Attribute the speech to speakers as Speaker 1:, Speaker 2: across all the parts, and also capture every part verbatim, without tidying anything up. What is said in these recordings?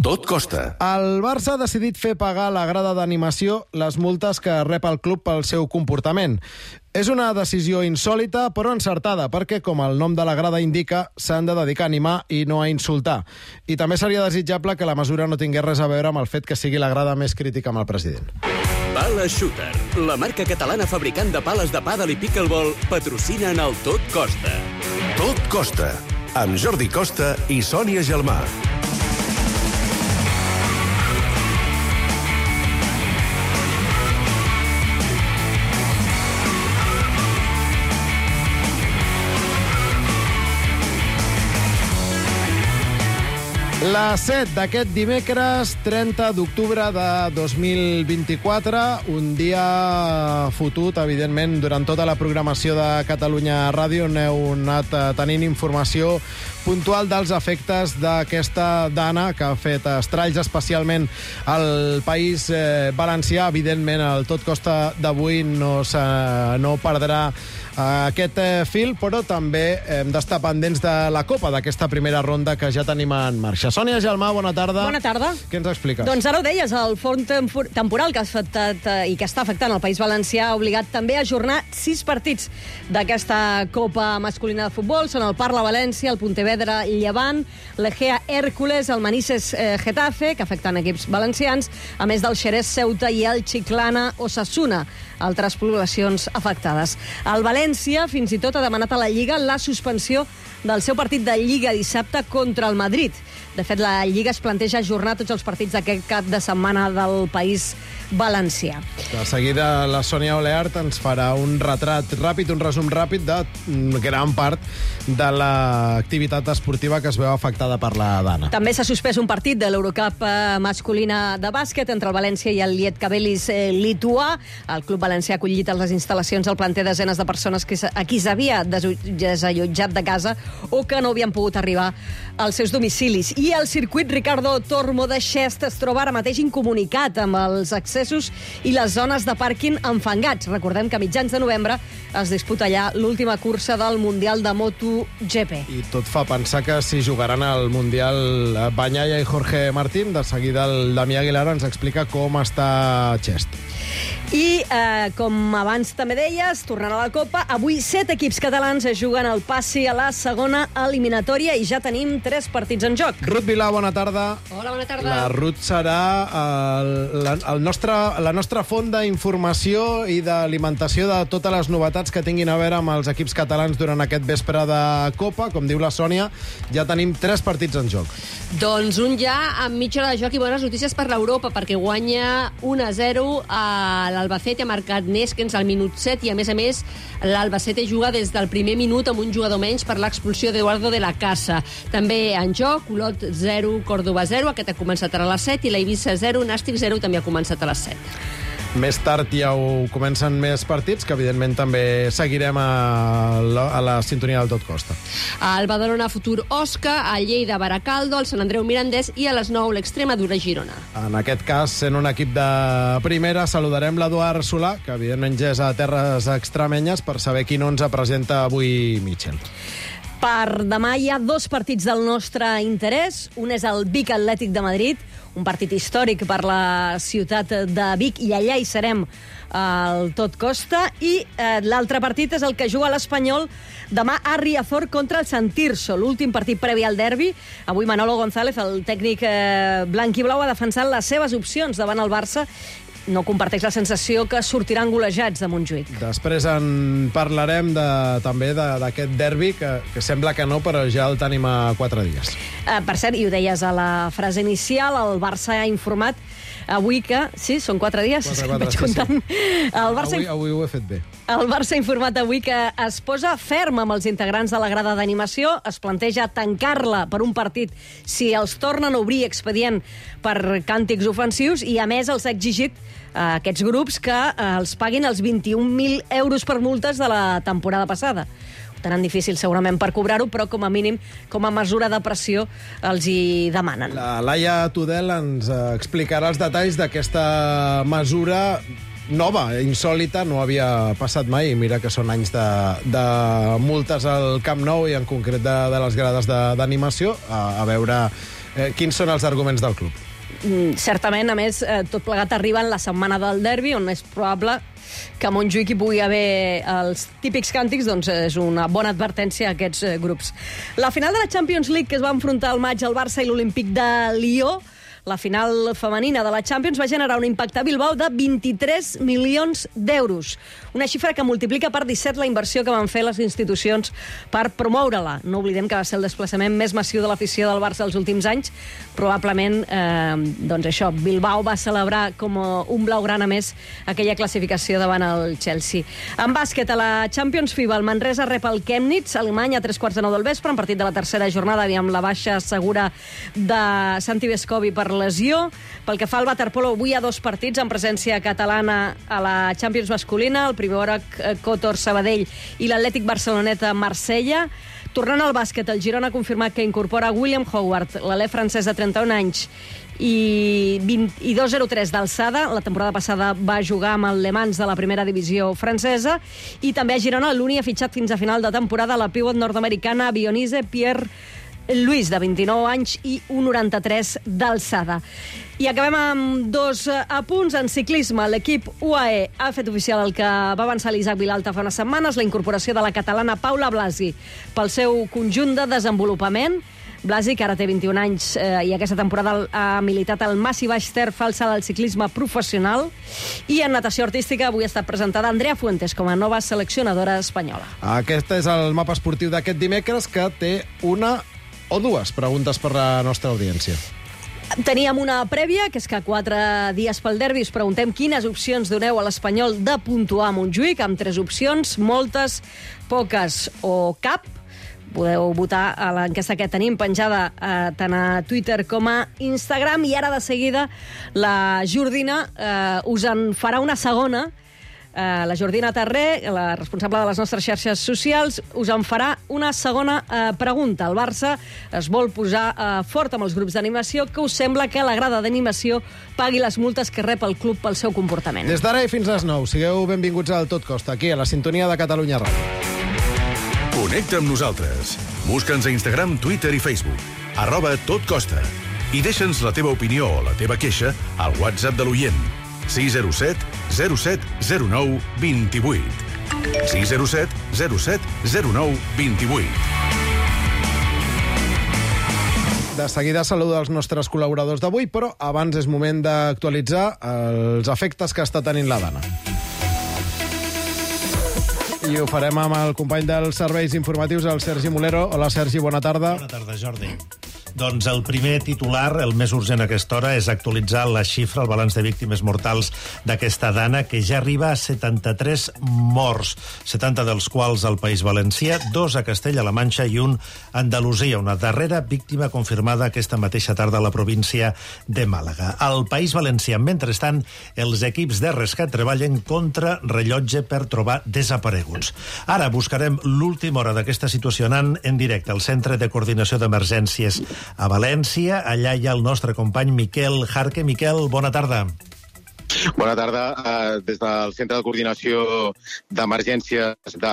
Speaker 1: Tot costa.
Speaker 2: El Barça ha decidit fer pagar a la grada d'animació les multes que rep el club pel seu comportament. És una decisió insòlita, però encertada, perquè, com el nom de la grada indica, s'han de dedicar a animar i no a insultar. I també seria desitjable que la mesura no tingués res a veure amb el fet que sigui la grada més crítica amb el president.
Speaker 3: Pala Shooter, la marca catalana fabricant de pales de pàdel i pickleball, patrocina en el Tot Costa.
Speaker 1: Tot costa, amb Jordi Costa i Sònia Gelmà.
Speaker 2: La set d'aquest dimecres, trenta d'octubre de dos mil vint-i-quatre, un dia fotut, evidentment, durant tota la programació de Catalunya Ràdio. N'heu anat tenint informació puntual dels efectes d'aquesta dana que ha fet estralls especialment al País eh, Valencià. Evidentment, el Tot Costa d'avui no, no perdrà aquest eh, fil, però també hem d'estar pendents de la Copa, d'aquesta primera ronda que ja tenim en marxa. Sònia Gelmà, bona tarda.
Speaker 4: Bona tarda.
Speaker 2: Què ens expliques?
Speaker 4: Doncs ara ho deies, el fons temporal que ha afectat eh, i que està afectant el País Valencià ha obligat també a ajornar sis partits d'aquesta Copa masculina de futbol. Són el Parla València, el Pontevedra Llevant, l'Egea Hércules, el Manises eh, Getafe, que afecten equips valencians, a més del Xerès Ceuta i el Chiclana Osasuna, altres poblacions afectades. El València fins i tot ha demanat a la Lliga la suspensió del seu partit de Lliga dissabte contra el Madrid. De fet, la Lliga es planteja ajornar tots els partits d'aquest cap de setmana del País Valencià.
Speaker 2: De seguida la Sònia Oleart ens farà un retrat ràpid, un resum ràpid de gran part de l'activitat esportiva que es veu afectada per la dana.
Speaker 4: També s'ha suspès un partit de l'Eurocup masculina de bàsquet entre el València i el Lietkabelis lituà. El club valencià ha acollit a les instal·lacions del planter desenes de persones que a qui s'havia desallotjat de casa o que no havien pogut arribar als seus domicilis. I el circuit Ricardo Tormo de Xest es troba ara mateix incomunicat amb els accessos i les zones de pàrquing enfangats. Recordem que a mitjans de novembre es disputa allà l'última cursa del Mundial de MotoGP.
Speaker 2: I tot fa pensar que si jugaran al Mundial Bagnaia i Jorge Martín. De seguida el Damià Aguilar ens explica com està Xest.
Speaker 4: I, eh, com abans també deies, tornant a la Copa, avui set equips catalans es juguen el passi a la segona eliminatòria i ja tenim tres partits en joc.
Speaker 2: Ruth Vilà, bona tarda.
Speaker 4: Hola, bona tarda.
Speaker 2: La Ruth serà el, la, el nostre, la nostra font d'informació i d'alimentació de totes les novetats que tinguin a veure amb els equips catalans durant aquest vespre de Copa. Com diu la Sònia, ja tenim tres partits en joc.
Speaker 5: Doncs un ja amb mitja hora de joc i bones notícies per l'Europa, perquè guanya un a zero a l'Albacete, ha marcat Neskens al minut set i, a més a més, l'Albacete juga des del primer minut amb un jugador menys per l'expulsió d'Eduardo de la Casa. També en joc, Olot zero, Córdoba zero, aquest ha començat a les set, i la Eivissa zero, Nàstic zero, també ha començat a les set.
Speaker 2: Més tard ja ho comencen més partits, que evidentment també seguirem a la, a la sintonia del Tot Costa.
Speaker 5: Al Badalona Futur Osca, a Lleida Baracaldo, al Sant Andreu Mirandés i a les nou l'Extremadura Girona.
Speaker 2: En aquest cas, sent un equip de primera, saludarem l'Eduard Solà, que evidentment ja és a terres extremenyes, per saber quin onze presenta avui Mitchell.
Speaker 4: Per demà hi ha dos partits del nostre interès. Un és el Vic Atlètic de Madrid, un partit històric per la ciutat de Vic, i allà hi serem al Tot Costa. I eh, l'altre partit és el que juga l'Espanyol demà a Riazor contra el Sant Tirso, l'últim partit previ al derbi. Avui Manolo González, el tècnic eh, blanc i blau, ha defensat les seves opcions davant el Barça. No comparteix la sensació que sortiran golejats de Montjuïc.
Speaker 2: Després en parlarem de, també d'aquest derbi, que, que sembla que no, però ja el tenim a quatre dies.
Speaker 4: Uh, per cert, i ho deies a la frase inicial, el Barça ha informat avui que... Sí, són quatre dies,
Speaker 2: quatre, quatre,
Speaker 4: vaig
Speaker 2: sí,
Speaker 4: comptant.
Speaker 2: Sí.
Speaker 4: El Barça...
Speaker 2: Avui, avui ho he fet bé.
Speaker 4: El Barça ha informat avui que es posa ferm amb els integrants de la grada d'animació, es planteja tancar-la per un partit si els tornen a obrir expedient per càntics ofensius, i a més els ha exigit a aquests grups que eh, els paguin els vint-i-un mil euros per multes de la temporada passada. Ho tenen difícil segurament per cobrar-ho, però com a mínim, com a mesura de pressió, els hi demanen.
Speaker 2: La Laia Tudel ens explicarà els detalls d'aquesta mesura nova, insòlita, no havia passat mai. Mira que són anys de, de multes al Camp Nou i en concret de, de les grades d'animació. A, a veure Eh, quins són els arguments del club?
Speaker 4: Mm, certament, a més, eh, tot plegat arriba en la setmana del derbi, on és probable que a Montjuïc hi pugui haver els típics càntics, doncs és una bona advertència a aquests eh, grups. La final de la Champions League, que es va enfrontar al maig al Barça i l'Olímpic de Lió, la final femenina de la Champions, va generar un impacte a Bilbao de vint-i-tres milions d'euros. Una xifra que multiplica per disset la inversió que van fer les institucions per promoure-la. No oblidem que va ser el desplaçament més massiu de l'afició del Barça els últims anys. Probablement, eh, doncs això, Bilbao va celebrar com un blaugrana més aquella classificació davant el Chelsea. En bàsquet, a la Champions FIBA, el Manresa rep el Chemnitz, Alemany, a tres quarts de nou del vespre, en partit de la tercera jornada, amb la baixa segura de Santi Vescovi per lesió. Pel que fa al waterpolo, avui hi ha dos partits en presència catalana a la Champions masculina, el primer hora Kotor Sabadell i l'Atlètic Barceloneta Marsella. Tornant al bàsquet, el Girona ha confirmat que incorpora William Howard, l'alè francès de trenta-un anys i, vint, i dos coma zero tres d'alçada. La temporada passada va jugar amb el Le Mans de la primera divisió francesa. I també a Girona l'Uni ha fitxat fins a final de temporada la pivot nord-americana Bionise Pierre Luis, de vint-i-nou anys i un coma noranta-tres d'alçada. I acabem amb dos apunts. En ciclisme, l'equip U A E ha fet oficial el que va avançar l'Isaac Vilalta fa unes setmanes, la incorporació de la catalana Paula Blasi pel seu conjunt de desenvolupament. Blasi, que ara té vint-i-un anys eh, i aquesta temporada ha militat al Massi Baix Ter falsa del ciclisme professional. I en natació artística avui ha estat presentada Andrea Fuentes com a nova seleccionadora espanyola.
Speaker 2: Aquest és el mapa esportiu d'aquest dimecres, que té una o dues preguntes per la nostra audiència.
Speaker 4: Teníem una prèvia, que és que quatre dies pel derbi us preguntem quines opcions doneu a l'Espanyol de puntuar a Montjuïc, amb tres opcions, moltes, poques o cap. Podeu votar a l'enquesta que tenim penjada eh, tant a Twitter com a Instagram. I ara de seguida la Jordina eh, us en farà una segona. Uh, la Jordina Tarré, la responsable de les nostres xarxes socials, us en farà una segona uh, pregunta. El Barça es vol posar uh, fort amb els grups d'animació. Què us sembla que la grada d'animació pagui les multes que rep el club pel seu comportament?
Speaker 2: Des d'ara i fins a les nou, sigueu benvinguts al Tot Costa, aquí a la sintonia de Catalunya Ràdio.
Speaker 1: Connecta amb nosaltres. Busca'ns a Instagram, Twitter i Facebook. Arroba Tot Costa. I deixa'ns la teva opinió o la teva queixa al WhatsApp de l'oient. sis zero set zero set zero nou dos vuit. sis zero set zero set zero nou dos vuit.
Speaker 2: De seguida saluda els nostres col·laboradors d'avui, però abans és moment d'actualitzar els efectes que està tenint la Dana. I ho farem amb el company dels serveis informatius, el Sergi Molero. Hola, Sergi, bona tarda.
Speaker 6: Bona tarda, Jordi. Doncs el primer titular, el més urgent a aquesta hora, és actualitzar la xifra, el balanç de víctimes mortals d'aquesta dana, que ja arriba a setanta-tres morts, setanta dels quals al País Valencià, dos a Castella-La Manxa i un a Andalusia. Una darrera víctima confirmada aquesta mateixa tarda a la província de Màlaga. Al País Valencià, mentrestant, els equips de rescat treballen contra rellotge per trobar desapareguts. Ara buscarem l'última hora d'aquesta situació anant en directe al Centre de Coordinació d'Emergències a València. Allà hi ha el nostre company Miquel Jarque. Miquel, bona tarda.
Speaker 7: Bona tarda. Uh, des del Centre de Coordinació d'Emergències de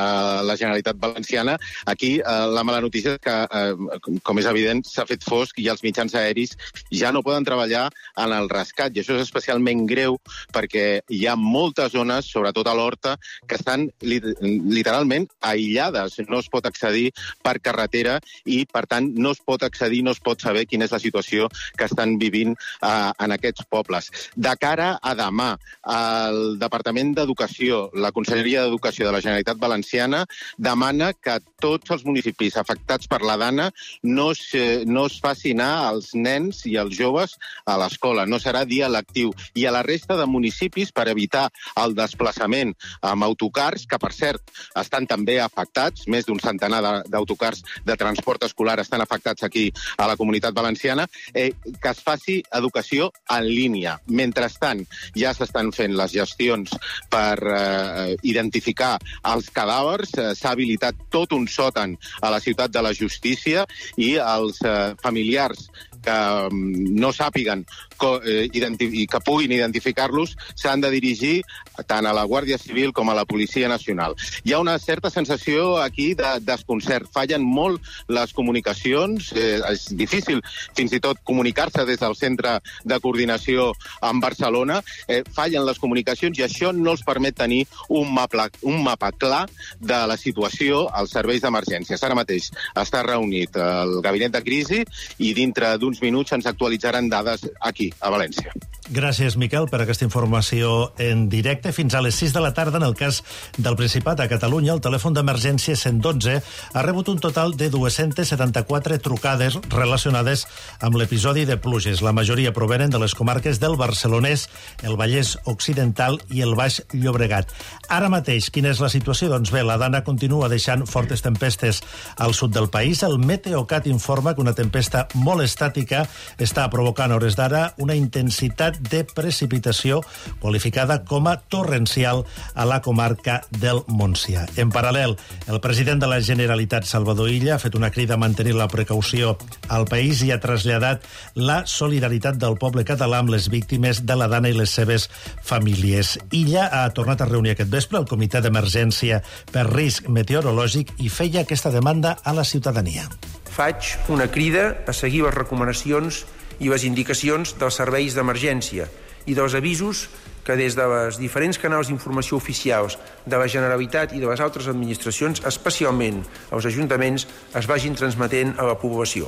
Speaker 7: la Generalitat Valenciana. Aquí uh, la mala notícia és que, uh, com és evident, s'ha fet fosc i els mitjans aeris ja no poden treballar en el rescat. I això és especialment greu perquè hi ha moltes zones, sobretot a l'Horta, que estan li literalment aïllades. No es pot accedir per carretera i, per tant, no es pot accedir, no es pot saber quina és la situació que estan vivint uh, en aquests pobles. De cara a demà, el Departament d'Educació, la Conselleria d'Educació de la Generalitat Valenciana, demana que tots els municipis afectats per la dana no es, no es faci anar els nens i els joves a l'escola. No serà dia lectiu. I a la resta de municipis, per evitar el desplaçament amb autocars, que per cert estan també afectats, més d'un centenar d'autocars de transport escolar estan afectats aquí a la Comunitat Valenciana, eh, que es faci educació en línia. Mentrestant, ja s'estan fent les gestions per eh, identificar els cadàvers. Eh, S'ha habilitat tot un sòtan a la Ciutat de la Justícia i els eh, familiars que no sàpiguen i que puguin identificar-los s'han de dirigir tant a la Guàrdia Civil com a la Policia Nacional. Hi ha una certa sensació aquí de desconcert. Fallen molt les comunicacions, eh, és difícil fins i tot comunicar-se des del centre de coordinació en Barcelona, eh, fallen les comunicacions i això no els permet tenir un mapa, un mapa clar de la situació als serveis d'emergències. Ara mateix està reunit el gabinet de crisi i dintre d'uns minuts ens actualitzaran dades aquí, a València.
Speaker 6: Gràcies, Miquel, per aquesta informació en directe. Fins a les sis de la tarda, en el cas del Principat a Catalunya, el telèfon d'emergència cent dotze ha rebut un total de dues-centes setanta-quatre trucades relacionades amb l'episodi de pluges. La majoria provenen de les comarques del Barcelonès, el Vallès Occidental i el Baix Llobregat. Ara mateix, quina és la situació? Doncs bé, la Dana continua deixant fortes tempestes al sud del país. El Meteocat informa que una tempesta molt estàtica està provocant a hores d'ara una intensitat de precipitació qualificada com a torrencial a la comarca del Montsià. En paral·lel, el president de la Generalitat, Salvador Illa, ha fet una crida a mantenir la precaució al país i ha traslladat la solidaritat del poble català amb les víctimes de la Dana i les seves famílies. Illa ha tornat a reunir aquest vespre el Comitè d'Emergència per Risc Meteorològic i feia aquesta demanda a la ciutadania.
Speaker 8: Faig una crida a seguir les recomanacions i les indicacions dels serveis d'emergència i dels avisos que des dels diferents canals d'informació oficials de la Generalitat i de les altres administracions, especialment als ajuntaments, es vagin transmetent a la població.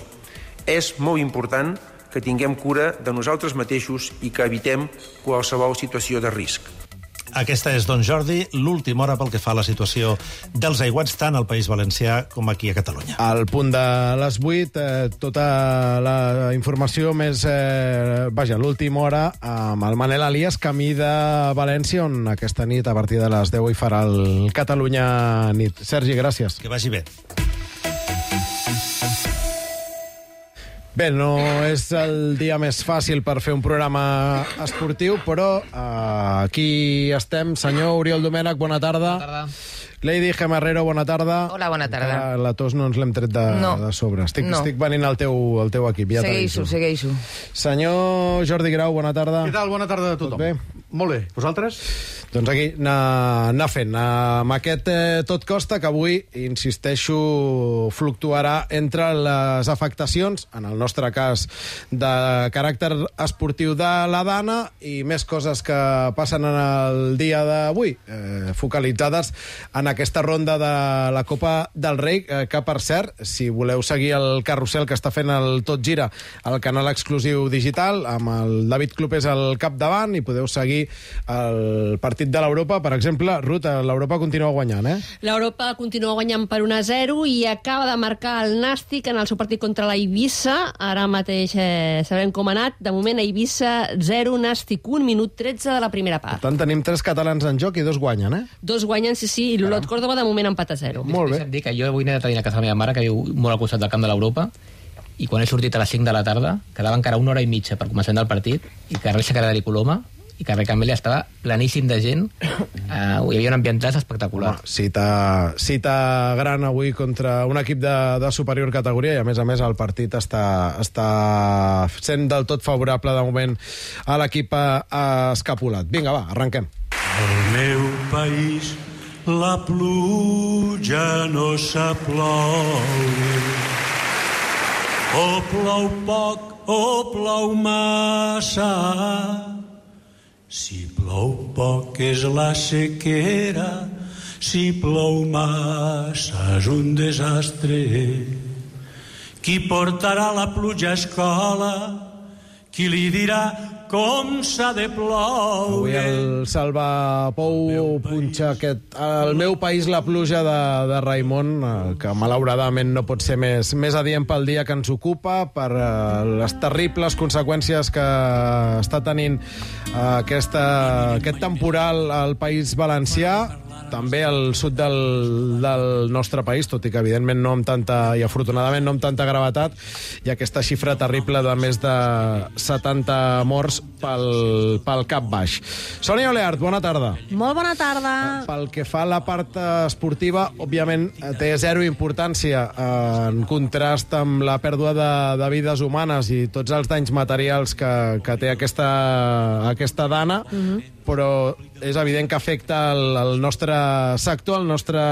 Speaker 8: És molt important que tinguem cura de nosaltres mateixos i que evitem qualsevol situació de risc.
Speaker 6: Aquesta és, doncs, Jordi, l'última hora pel que fa a la situació dels aiguats tant al País Valencià com aquí a Catalunya.
Speaker 2: Al punt de les vuit, eh, tota la informació més... Eh, vaja, l'última hora amb el Manel Elias, camí de València, on aquesta nit, a partir de les deu, hi farà el Catalunya nit. Sergi, gràcies.
Speaker 6: Que vagi bé.
Speaker 2: Bé, no és el dia més fàcil per fer un programa esportiu, però uh, aquí estem. Senyor Oriol Domènech, bona tarda.
Speaker 9: Bona tarda.
Speaker 2: Lady Gemarrero, bona tarda.
Speaker 9: Hola, bona tarda.
Speaker 2: Uh, la tos no ens l'hem tret de,
Speaker 9: no.
Speaker 2: de sobre. Estic,
Speaker 9: no.
Speaker 2: estic venint al teu, al teu equip. Ja
Speaker 9: segueixo, segueixo.
Speaker 2: Senyor Jordi Grau, bona tarda.
Speaker 10: Què tal? Bona tarda a tothom.
Speaker 2: Tot bé?
Speaker 10: Molt bé. Vosaltres?
Speaker 2: Doncs aquí, anar, anar fent. Amb aquest eh, tot costa que avui, insisteixo, fluctuarà entre les afectacions, en el nostre cas, de caràcter esportiu de la Dana i més coses que passen en el dia d'avui, eh, focalitzades en aquesta ronda de la Copa del Rei, eh, que, per cert, si voleu seguir el carrusel que està fent el Tot Gira al canal exclusiu digital, amb el David Clopés al capdavant, i podeu seguir el partit de l'Europa, per exemple. Ruth, l'Europa continua guanyant, eh?
Speaker 5: L'Europa continua guanyant per un a zero i acaba de marcar el Nàstic en el seu partit contra la Eivissa. Ara mateix eh, sabem com ha anat. De moment, Eivissa zero, Nàstic un, minut tretze de la primera part.
Speaker 2: Per tant, tenim tres catalans en joc i dos guanyen, eh?
Speaker 5: Dos guanyen, sí, sí, i l'Olot Córdoba de moment empat a zero.
Speaker 2: Molt bé.
Speaker 9: Deixa'm dir que jo avui he anat a dinar a casa de la meva mare, que viu molt al costat del camp de l'Europa, i quan he sortit a les cinc de la tarda, quedava encara una hora i mitja per començar el partit, i carrer Secretari Coloma i carrer Camelia estava planíssim de gent. Uh, hi havia un ambientat espectacular.
Speaker 2: Home, cita, cita gran avui contra un equip de, de superior categoria, i a més a més el partit està, està sent del tot favorable de moment a l'equip escapulat. Vinga, va, arrenquem.
Speaker 11: Al meu país la pluja no sap ploure, o plou poc o plou massa. Si plou poc és la sequera, si plou massa és un desastre. Qui portarà la pluja a escola? Qui li dirà com s'ha de ploure?
Speaker 2: Avui el Salva Pou punxa aquest El meu país la pluja de, de Raimon, que malauradament no pot ser més, més adient pel dia que ens ocupa, per uh, les terribles conseqüències que està tenint uh, aquesta, aquest temporal al País Valencià. també al sud del, del nostre país, tot i que evidentment no amb tanta, i afortunadament no amb tanta gravetat, i aquesta xifra terrible de més de setanta morts pel, pel cap baix. Sònia Oleart, bona tarda.
Speaker 4: Molt bona tarda.
Speaker 2: Pel que fa a la part esportiva, òbviament té zero importància en contrast amb la pèrdua de, de vides humanes i tots els danys materials que, que té aquesta, aquesta dana, mm-hmm. però és evident que afecta el, el nostre sector, el nostre,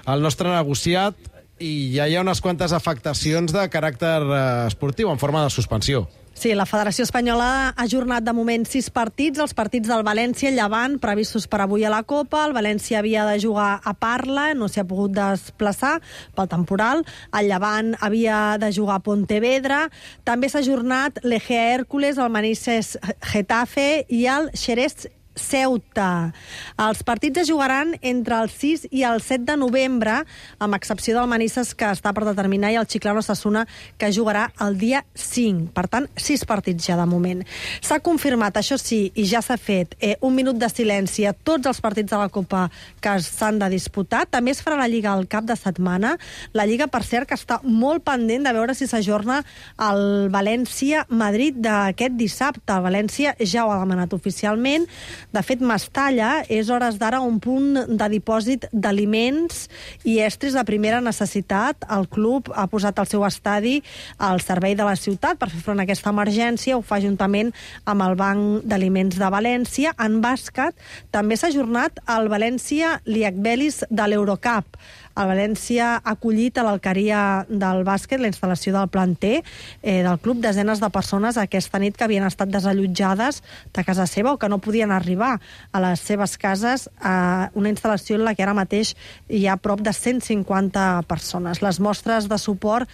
Speaker 2: el nostre negociat, i ja hi ha unes quantes afectacions de caràcter esportiu en forma de suspensió.
Speaker 4: Sí, la Federació Espanyola ha ajornat de moment sis partits, els partits del València, Llevant, previstos per avui a la Copa. El València havia de jugar a Parla, no s'hi ha pogut desplaçar pel temporal. El Llevant havia de jugar a Pontevedra. També s'ha ajornat l'Egea Hércules, el Manises Getafe i el Xerès Ceuta. Els partits es jugaran entre el sis i el set de novembre, amb excepció del Manises, que està per determinar, i el Chiclana Osasuna, que jugarà el dia cinc. Per tant, sis partits ja de moment. S'ha confirmat, això sí, i ja s'ha fet, eh, un minut de silenci a tots els partits de la Copa que s'han de disputar. També es farà la Lliga al cap de setmana. La Lliga, per cert, que està molt pendent de veure si s'ajorna el València-Madrid d'aquest dissabte. El València ja ho ha demanat oficialment. De fet, Mestalla és hores d'ara un punt de dipòsit d'aliments i estris de primera necessitat. El club ha posat el seu estadi al servei de la ciutat per fer front a aquesta emergència. Ho fa juntament amb el Banc d'Aliments de València. En bàsquet també s'ha ajornat el València-Liakbelis de l'Eurocup. El València ha acollit a l'Alqueria del bàsquet la instal·lació del planter eh, del club, desenes de persones aquesta nit que havien estat desallotjades de casa seva o que no podien arribar a les seves cases, a una instal·lació en la que ara mateix hi ha prop de cent cinquanta persones. Les mostres de suport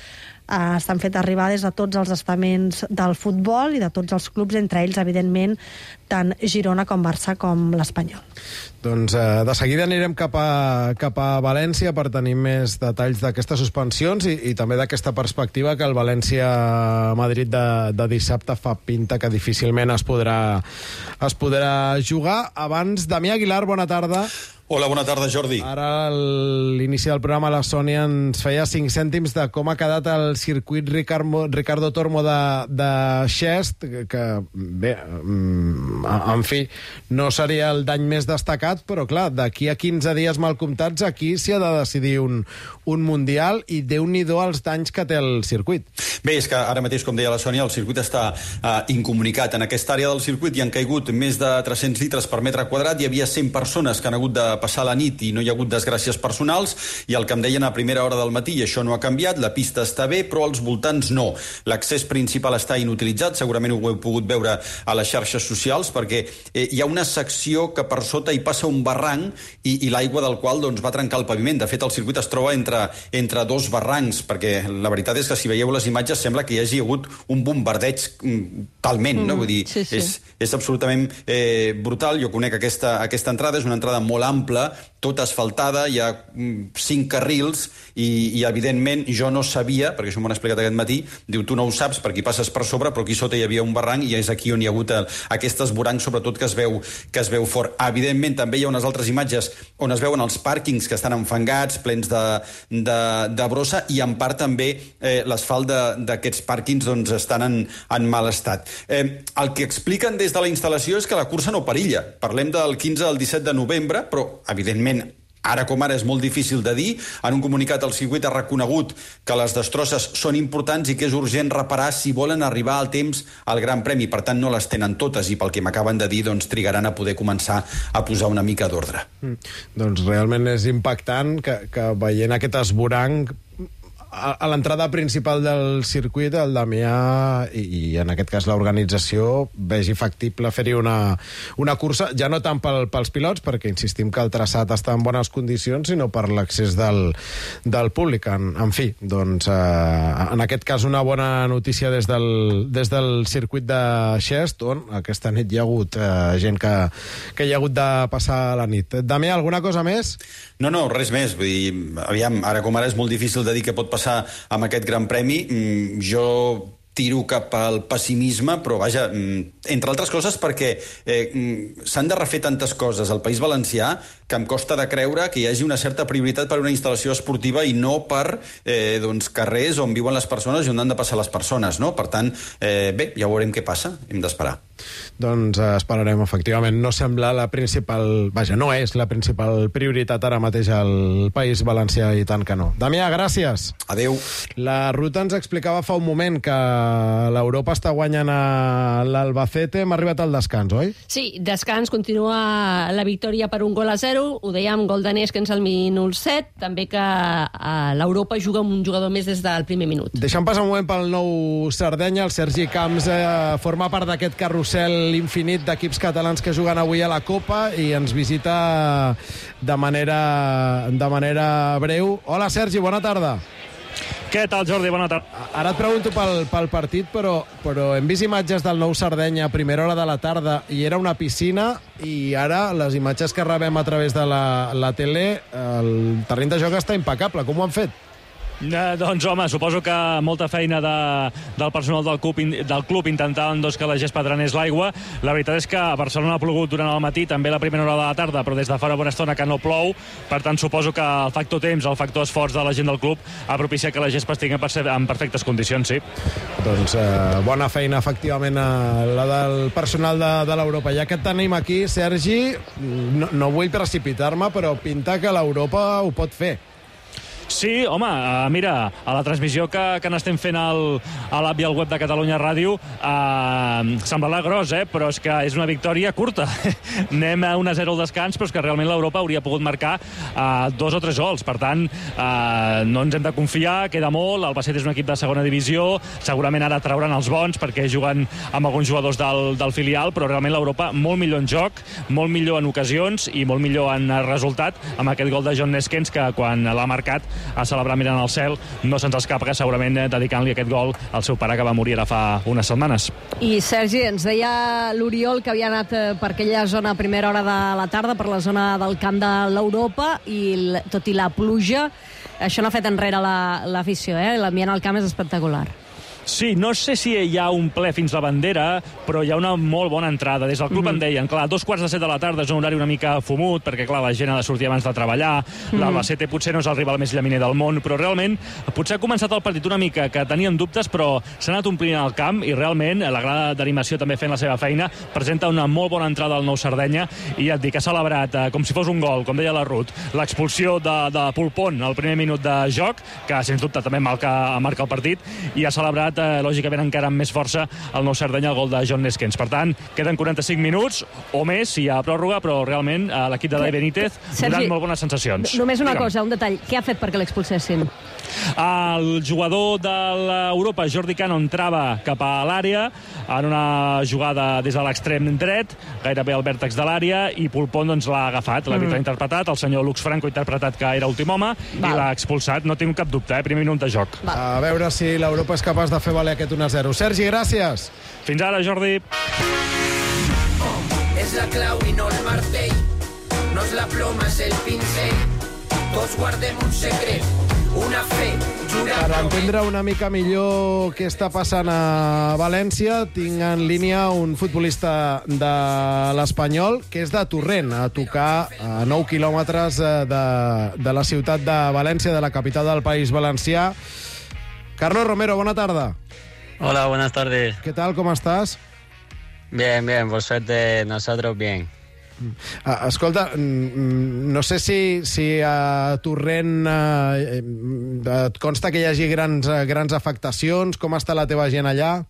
Speaker 4: eh, s'han fet arribar des de tots els estaments del futbol i de tots els clubs, entre ells, evidentment, tant Girona com Barça com l'Espanyol.
Speaker 2: Doncs eh, de seguida anirem cap a, cap a València per tenir més detalls d'aquestes suspensions i, i també d'aquesta perspectiva que el València-Madrid de, de dissabte fa pinta que difícilment es podrà, es podrà jugar. Abans, Damià Aguilar, bona tarda.
Speaker 12: Hola, bona tarda, Jordi.
Speaker 2: Ara, a l'inici del programa, la Sònia ens feia cinc cèntims de com ha quedat el circuit Ricardo, Ricardo Tormo de, de Xest, que, que, bé, en fi, no seria el dany més destacat, però, clar, d'aquí a quinze dies mal comptats, aquí s'hi ha de decidir un, un Mundial, i Déu-n'hi-do els danys que té el circuit.
Speaker 12: Bé, és que ara mateix, com deia la Sònia, el circuit està uh, incomunicat. En aquesta àrea del circuit hi han caigut més de tres-cents litres per metre quadrat, hi havia cent persones que han hagut de passar la nit i no hi ha hagut desgràcies personals, i el que em deien a primera hora del matí, i això no ha canviat, la pista està bé, però als voltants no. L'accés principal està inutilitzat, segurament ho heu pogut veure a les xarxes socials, perquè eh, hi ha una secció que per sota hi passa un barranc i, i l'aigua del qual doncs, va trencar el paviment. De fet, el circuit es troba entre, entre dos barrancs, perquè la veritat és que si veieu les imatges sembla que hi hagi hagut un bombardeig mm, talment, no? Vull dir,
Speaker 4: sí, sí.
Speaker 12: És, és absolutament eh, brutal. Jo conec aquesta, aquesta entrada, és una entrada molt ampla, tota asfaltada, hi ha cinc carrils i, i evidentment jo no sabia, perquè això m'ho han explicat aquest matí, diu, tu no ho saps perquè hi passes per sobre, però aquí sota hi havia un barranc i és aquí on hi ha hagut el, aquest esboranc, sobretot que es veu que es veu fort. Evidentment també hi ha unes altres imatges on es veuen els pàrquings que estan enfangats, plens de, de, de brossa, i en part també eh, l'asfalt d'aquests pàrquings doncs, estan en, en mal estat. Eh, el que expliquen des de la instal·lació és que la cursa no perilla. Parlem del quinze al disset de novembre, però evidentment ara com ara és molt difícil de dir. En un comunicat el circuit ha reconegut que les destrosses són importants i que és urgent reparar si volen arribar al temps al Gran Premi. Per tant, no les tenen totes i pel que m'acaben de dir, doncs, trigaran a poder començar a posar una mica d'ordre.
Speaker 2: Mm. Doncs realment és impactant que, que veient aquest esboranc a l'entrada principal del circuit, el Damià i, i en aquest cas l'organització vegi factible fer-hi una, una cursa, ja no tant pel, pels pilots, perquè insistim que el traçat està en bones condicions, sinó per l'accés del, del públic. En, en fi, doncs eh, en aquest cas una bona notícia des del, des del circuit de Xest, on aquesta nit hi ha hagut eh, gent que, que hi ha hagut de passar la nit. Damià, alguna cosa més?
Speaker 12: No, no, res més. Vull dir, aviam, ara com ara és molt difícil de dir què pot passar amb aquest Gran Premi. Jo tiro cap al pessimisme, però vaja, entre altres coses perquè eh, s'han de refer tantes coses al País Valencià que em costa de creure que hi hagi una certa prioritat per una instal·lació esportiva i no per eh, doncs, carrers on viuen les persones i on han de passar les persones, no? Per tant, eh, bé, ja veurem què passa, hem d'esperar.
Speaker 2: Doncs eh, esperarem, efectivament. No sembla la principal... Vaja, no és la principal prioritat ara mateix al País Valencià, i tant que no. Damià, gràcies.
Speaker 12: Adéu.
Speaker 2: La Ruta ens explicava fa un moment que l'Europa està guanyant a l'Albacete. Hem arribat al descans, oi?
Speaker 5: Sí, descans, continua la victòria per un gol a zero. Ho dèiem, gol de Neskens al minut set. També que eh, l'Europa juga amb un jugador més des del primer minut.
Speaker 2: Deixem passar un moment pel nou Sardenya. El Sergi Camps eh, forma part d'aquest carrusel infinit d'equips catalans que juguen avui a la Copa i ens visita de manera, de manera breu. Hola, Sergi, bona tarda.
Speaker 13: Què tal, Jordi? Bona tarda.
Speaker 2: Ara et pregunto pel, pel partit, però, però hem vist imatges del nou Sardenya a primera hora de la tarda i era una piscina, i ara les imatges que rebem a través de la, la tele, el terreny de joc està impecable. Com ho han fet?
Speaker 13: Eh, doncs, home, suposo que molta feina de, del personal del club, del club intentant doncs, que la gespa drenés l'aigua. La veritat és que a Barcelona ha plogut durant el matí, també la primera hora de la tarda, però des de fa una bona estona que no plou. Per tant, suposo que el factor temps, el factor esforç de la gent del club ha propiciat que la gespa estigui en perfectes condicions, sí.
Speaker 2: Doncs eh, bona feina, efectivament, eh, la del personal de, de l'Europa. Ja que et tenim aquí, Sergi, no, no vull precipitar-me, però pinta que l'Europa ho pot fer.
Speaker 13: Sí, home, uh, mira, a la transmissió que, que n'estem fent al, a l'app i al web de Catalunya Ràdio, uh, semblarà gros, eh? Però és que és una victòria curta. Anem a un a zero al descans, però és que realment l'Europa hauria pogut marcar uh, dos o tres gols. Per tant, uh, no ens hem de confiar, queda molt. L'Albacete és un equip de segona divisió, segurament ara trauran els bons perquè juguen amb alguns jugadors del, del filial, però realment l'Europa molt millor en joc, molt millor en ocasions i molt millor en resultat, amb aquest gol de John Neskens, que quan l'ha marcat a celebrar mirant al cel, no se'ns escapa que segurament dedicant-li aquest gol al seu pare que va morir ara fa unes setmanes.
Speaker 4: I Sergi, ens deia l'Oriol que havia anat per aquella zona a primera hora de la tarda, per la zona del camp de l'Europa, i tot i la pluja, això no ha fet enrere l'afició, eh? L'ambient al camp és espectacular.
Speaker 13: Sí, no sé si hi ha un ple fins la bandera, però hi ha una molt bona entrada. Des del club mm-hmm. em deien, clar, dos quarts de set de la tarda és un horari una mica fumut, perquè, clar, la gent ha de sortir abans de treballar, mm-hmm. l'Albacete potser no és el rival més llaminer del món, però realment potser ha començat el partit una mica, que teníem dubtes, però s'ha anat omplint el camp, i realment la grada d'animació també fent la seva feina, presenta una molt bona entrada al nou Sardenya, i ja et dic, ha celebrat eh, com si fos un gol, com deia la Ruth, l'expulsió de, de Pulpón al primer minut de joc, que sens dubte també marca, marca el partit, i ha celebrat Eh, lògicament encara amb més força el nou Sardenya, el gol de John Neskens. Per tant, queden quaranta-cinc minuts o més si hi ha pròrroga, però realment eh, l'equip de Dai Benítez donant molt bones sensacions.
Speaker 4: Només una
Speaker 13: Digue'm.
Speaker 4: cosa, un detall. Què ha fet perquè l'expulsessin?
Speaker 13: El jugador de l'Europa, Jordi Cano, entrava cap a l'àrea en una jugada des de l'extrem dret, gairebé al vèrtex de l'àrea, i Pulpón doncs, l'ha agafat, l'àrbitre mm. ha interpretat, el senyor Lux Franco ha interpretat que era últim home, Val. i l'ha expulsat. No tinc cap dubte, eh? Primer minut de joc.
Speaker 2: Val. A veure si l'Europa és capaç de fer valer aquest un a zero. Sergi, gràcies.
Speaker 13: Fins ara, Jordi.
Speaker 14: És la clau i no el martell, no és la ploma, és el pincell. Tots guardem un secret, una fe, jurar...
Speaker 2: Per entendre una mica millor què està passant a València, tinc en línia un futbolista de l'Espanyol, que és de Torrent, a tocar a nou quilòmetres de, de la ciutat de València, de la capital del País Valencià. Carlos Romero, bona tarda.
Speaker 15: Hola, buenas tardes.
Speaker 2: ¿Qué tal? ¿Cómo estás?
Speaker 15: Bien, bien, por suerte nosotros bien.
Speaker 2: Uh, escolta, no sé si, si a Torrent uh, et consta que hi hagi grans, uh, grans afectacions. Com està la teva gent allà?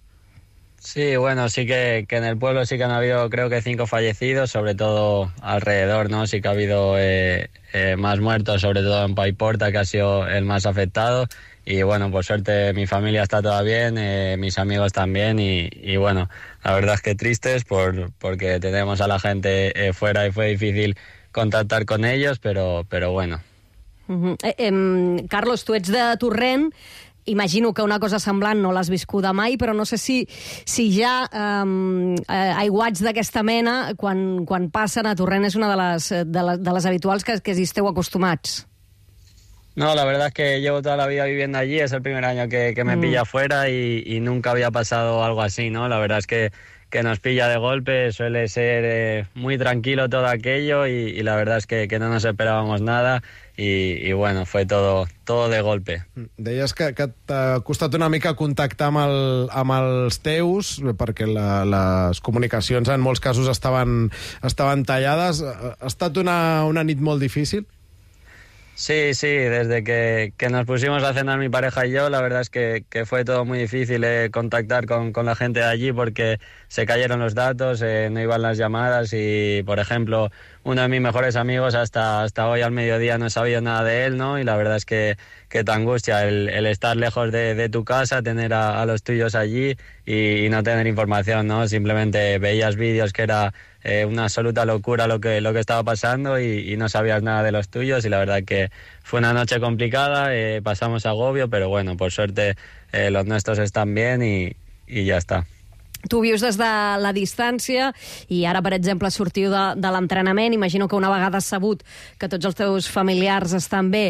Speaker 15: Sí, bueno, sí que, que en el pueblo sí que han habido, creo que cinco fallecidos, sobre todo alrededor, ¿no? Sí que ha habido eh, eh, más muertos, sobre todo en Paiporta, que ha sido el más afectado. Y bueno, por suerte mi familia está toda bien, eh, mis amigos también, y, y bueno, la verdad es que tristes por, porque tenemos a la gente eh, fuera y fue difícil contactar con ellos, pero, pero bueno.
Speaker 4: Uh-huh. eh, eh, Carlos, tu ets de Torrent, imagino que una cosa semblant no l'has viscuda mai, però no sé si, si ja um, eh, aiguats d'aquesta mena, quan, quan passen a Torrent, és una de les, de les, de les habituals que, que hi esteu acostumats.
Speaker 15: No, la verdad es que llevo toda la vida viviendo allí, es el primer año que, que me
Speaker 4: Mm.
Speaker 15: pilla afuera y, y nunca había pasado algo así, ¿no? La verdad es que, que nos pilla de golpe, suele ser eh, muy tranquilo todo aquello y, y la verdad es que, que no nos esperábamos nada i, i bueno, fue todo, todo de golpe.
Speaker 2: Deies que, que t'ha costat una mica contactar amb, el, amb els teus, perquè la, les comunicacions en molts casos estaven, estaven tallades. Ha estat una, una nit molt difícil?
Speaker 15: Sí, sí, desde que, que nos pusimos a cenar mi pareja y yo, la verdad es que, que fue todo muy difícil eh, contactar con, con la gente de allí porque se cayeron los datos, eh, no iban las llamadas y, por ejemplo, uno de mis mejores amigos hasta, hasta hoy al mediodía no he sabido nada de él, ¿no? Y la verdad es que, que te angustia el, el estar lejos de, de tu casa, tener a, a los tuyos allí y, y no tener información, ¿no? Simplemente veías vídeos que era eh, una absoluta locura lo que, lo que estaba pasando y, y no sabías nada de los tuyos y la verdad que fue una noche complicada, eh, pasamos agobio, pero bueno, por suerte eh, los nuestros están bien y, y ya está.
Speaker 4: Tu vius des de la distància i ara, per exemple, sortiu de, de l'entrenament. Imagino que una vegada sabut que tots els teus familiars estan bé,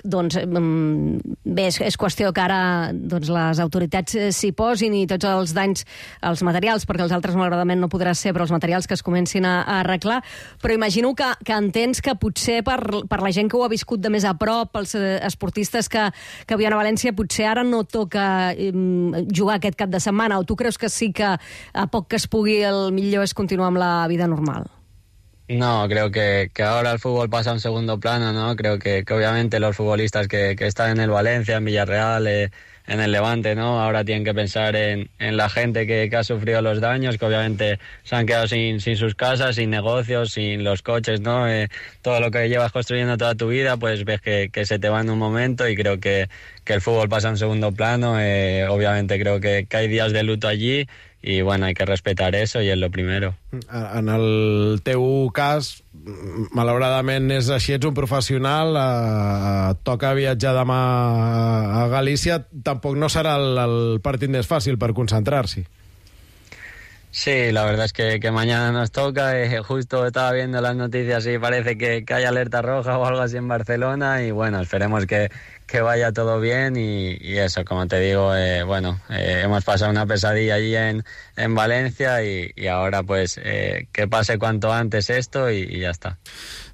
Speaker 4: doncs bé, és, és qüestió que ara doncs, les autoritats s'hi posin i tots els danys, els materials, perquè els altres malauradament no podrà ser, però els materials que es comencin a, a arreglar. Però imagino que, que entens que potser per, per la gent que ho ha viscut de més a prop, els esportistes que, que viuen a València, potser ara no toca um, jugar aquest cap de setmana, o tu creus que sí que a poc que es pugui el millor és continuar amb la vida normal?
Speaker 15: No, creo que, que ahora el fútbol pasa a un segundo plano, ¿no? Creo que, que obviamente los futbolistas que, que están en el Valencia, en Villarreal, eh, en el Levante, ¿no? Ahora tienen que pensar en, en la gente que, que ha sufrido los daños, que obviamente se han quedado sin, sin sus casas, sin negocios, sin los coches, ¿no? Eh, todo lo que llevas construyendo toda tu vida, pues ves que, que se te va en un momento y creo que, que el fútbol pasa a un segundo plano. Eh, obviamente creo que, que hay días de luto allí i bueno, hay que respetar eso y es lo primero.
Speaker 2: En el teu cas, malauradament és així, ets un professional, eh, toca viatjar demà a Galícia, tampoc no serà el, el partit més fàcil per concentrar-s'hi.
Speaker 15: Sí, la verdad es que, que mañana nos toca. Eh, justo estaba viendo las noticias y parece que, que hay alerta roja o algo así en Barcelona y bueno, esperemos que, que vaya todo bien y, y eso, como te digo, eh, bueno, eh, hemos pasado una pesadilla allí en, en Valencia y, y ahora pues eh, que pase cuanto antes esto y, y ya está.